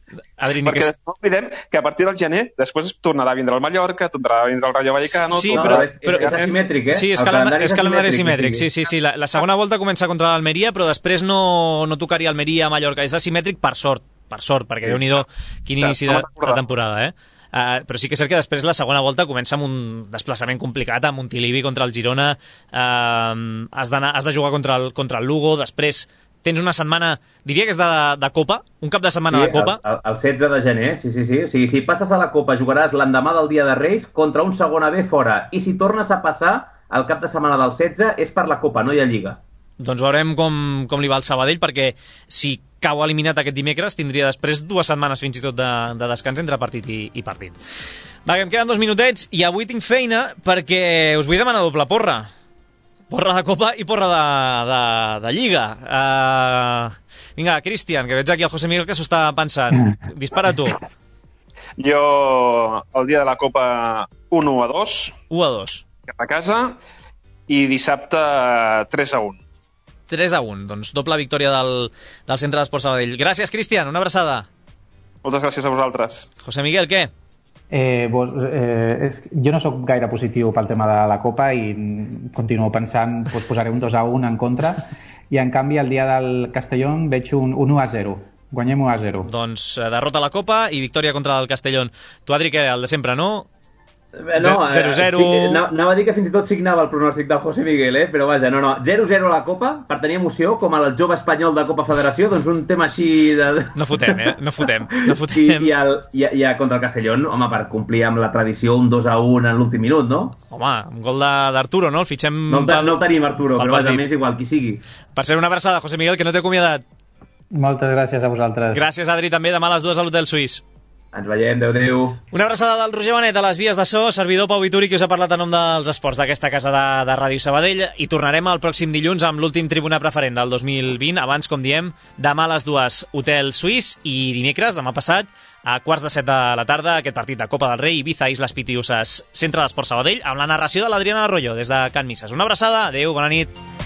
Adri, perquè que... no oblidem que a partir del gener després tornarà a vindre el Mallorca, tornarà a vindre el Rayo Vallecano... Sí, tornarà... però, és, però, és asimètric, eh? Sí, és, el calendari, és calendari asimètric, sí, sí, sí, sí. La, la segona volta comença contra l'Almeria, però després no, no tocaria Almeria a Mallorca. És asimètric per sort, per sort, perquè sí. Déu-n'hi-do quin inici de, de temporada, eh? Uh, però sí que és cert que després la segona volta comença amb un desplaçament complicat a Montilivi contra el Girona, uh, has, has de jugar contra el, contra el Lugo, després tens una setmana, diria que és de, de Copa, un cap de setmana sí, de Copa. El, el setze de gener, sí, sí, sí. O sigui, si passes a la Copa jugaràs l'endemà del dia de Reis contra un segona B fora, i si tornes a passar el cap de setmana del setze és per la Copa, no hi ha Lliga. Doncs veurem com, com li va al Sabadell, perquè si cau eliminat aquest dimecres tindria després dues setmanes fins i tot de, de descans entre partit i, i partit. Va, que em queden dos minutets i avui tinc feina perquè us vull demanar doble porra. Porra de Copa i porra de, de, de Lliga. Uh, vinga, Cristian, que veig aquí el José Miguel que s'ho està pensant. Dispara tu. Jo, el dia de la Copa, un u a dos. u a dos. Cap a casa. I dissabte, tres a un. tres a un, doncs doble victòria del, del Centre d'Esports Sabadell. Gràcies, Cristian, una abraçada. Moltes gràcies a vosaltres. José Miguel, què? Eh, vos, eh, és, jo no sóc gaire positiu pel tema de la Copa i continuo pensant, doncs posaré un dos a un en contra, i en canvi el dia del Castellón veig un, un u a zero. Guanyem u a zero. Doncs derrota a la Copa i victòria contra el Castellón. Tu, Adri, què? El de sempre, no? No, zero zero. Sí, anava a dir que fins i tot signava el pronòstic del José Miguel, eh? Però vaja, no, no. zero zero a la Copa, per tenir emoció, com el jove espanyol de Copa Federació, doncs un tema així de... No fotem, eh? No fotem. No fotem. I, i, el, i, i contra el Castellón, home, per complir amb la tradició, un dos a un en l'últim minut, no? Home, un gol d'Arturo, no? El fitxem... No, pel, no el tenim, Arturo, però vaja, més igual, qui sigui. Per ser una abraçada, José Miguel, que no t'he acomiadat. Moltes gràcies a vosaltres. Gràcies, Adri, també. Demà a les dues a l'Hotel Suís. Ens veiem, adéu-adéu. Una abraçada del Roger Benet a les vies de so, servidor Pau Vituri, que us ha parlat en nom dels esports d'aquesta casa de, de Ràdio Sabadell, i tornarem el pròxim dilluns amb l'últim Tribuna Preferent del dos mil vint. Abans, com diem, demà a les dues, Hotel Suís, i dimecres, demà passat, a quarts de set de la tarda, aquest partit de Copa del Rei, Ibiza, Islas Pitiusas, Centre d'Esports Sabadell, amb la narració de l'Adriana Arroyo, des de Can Misses. Una abraçada, adéu, bona nit.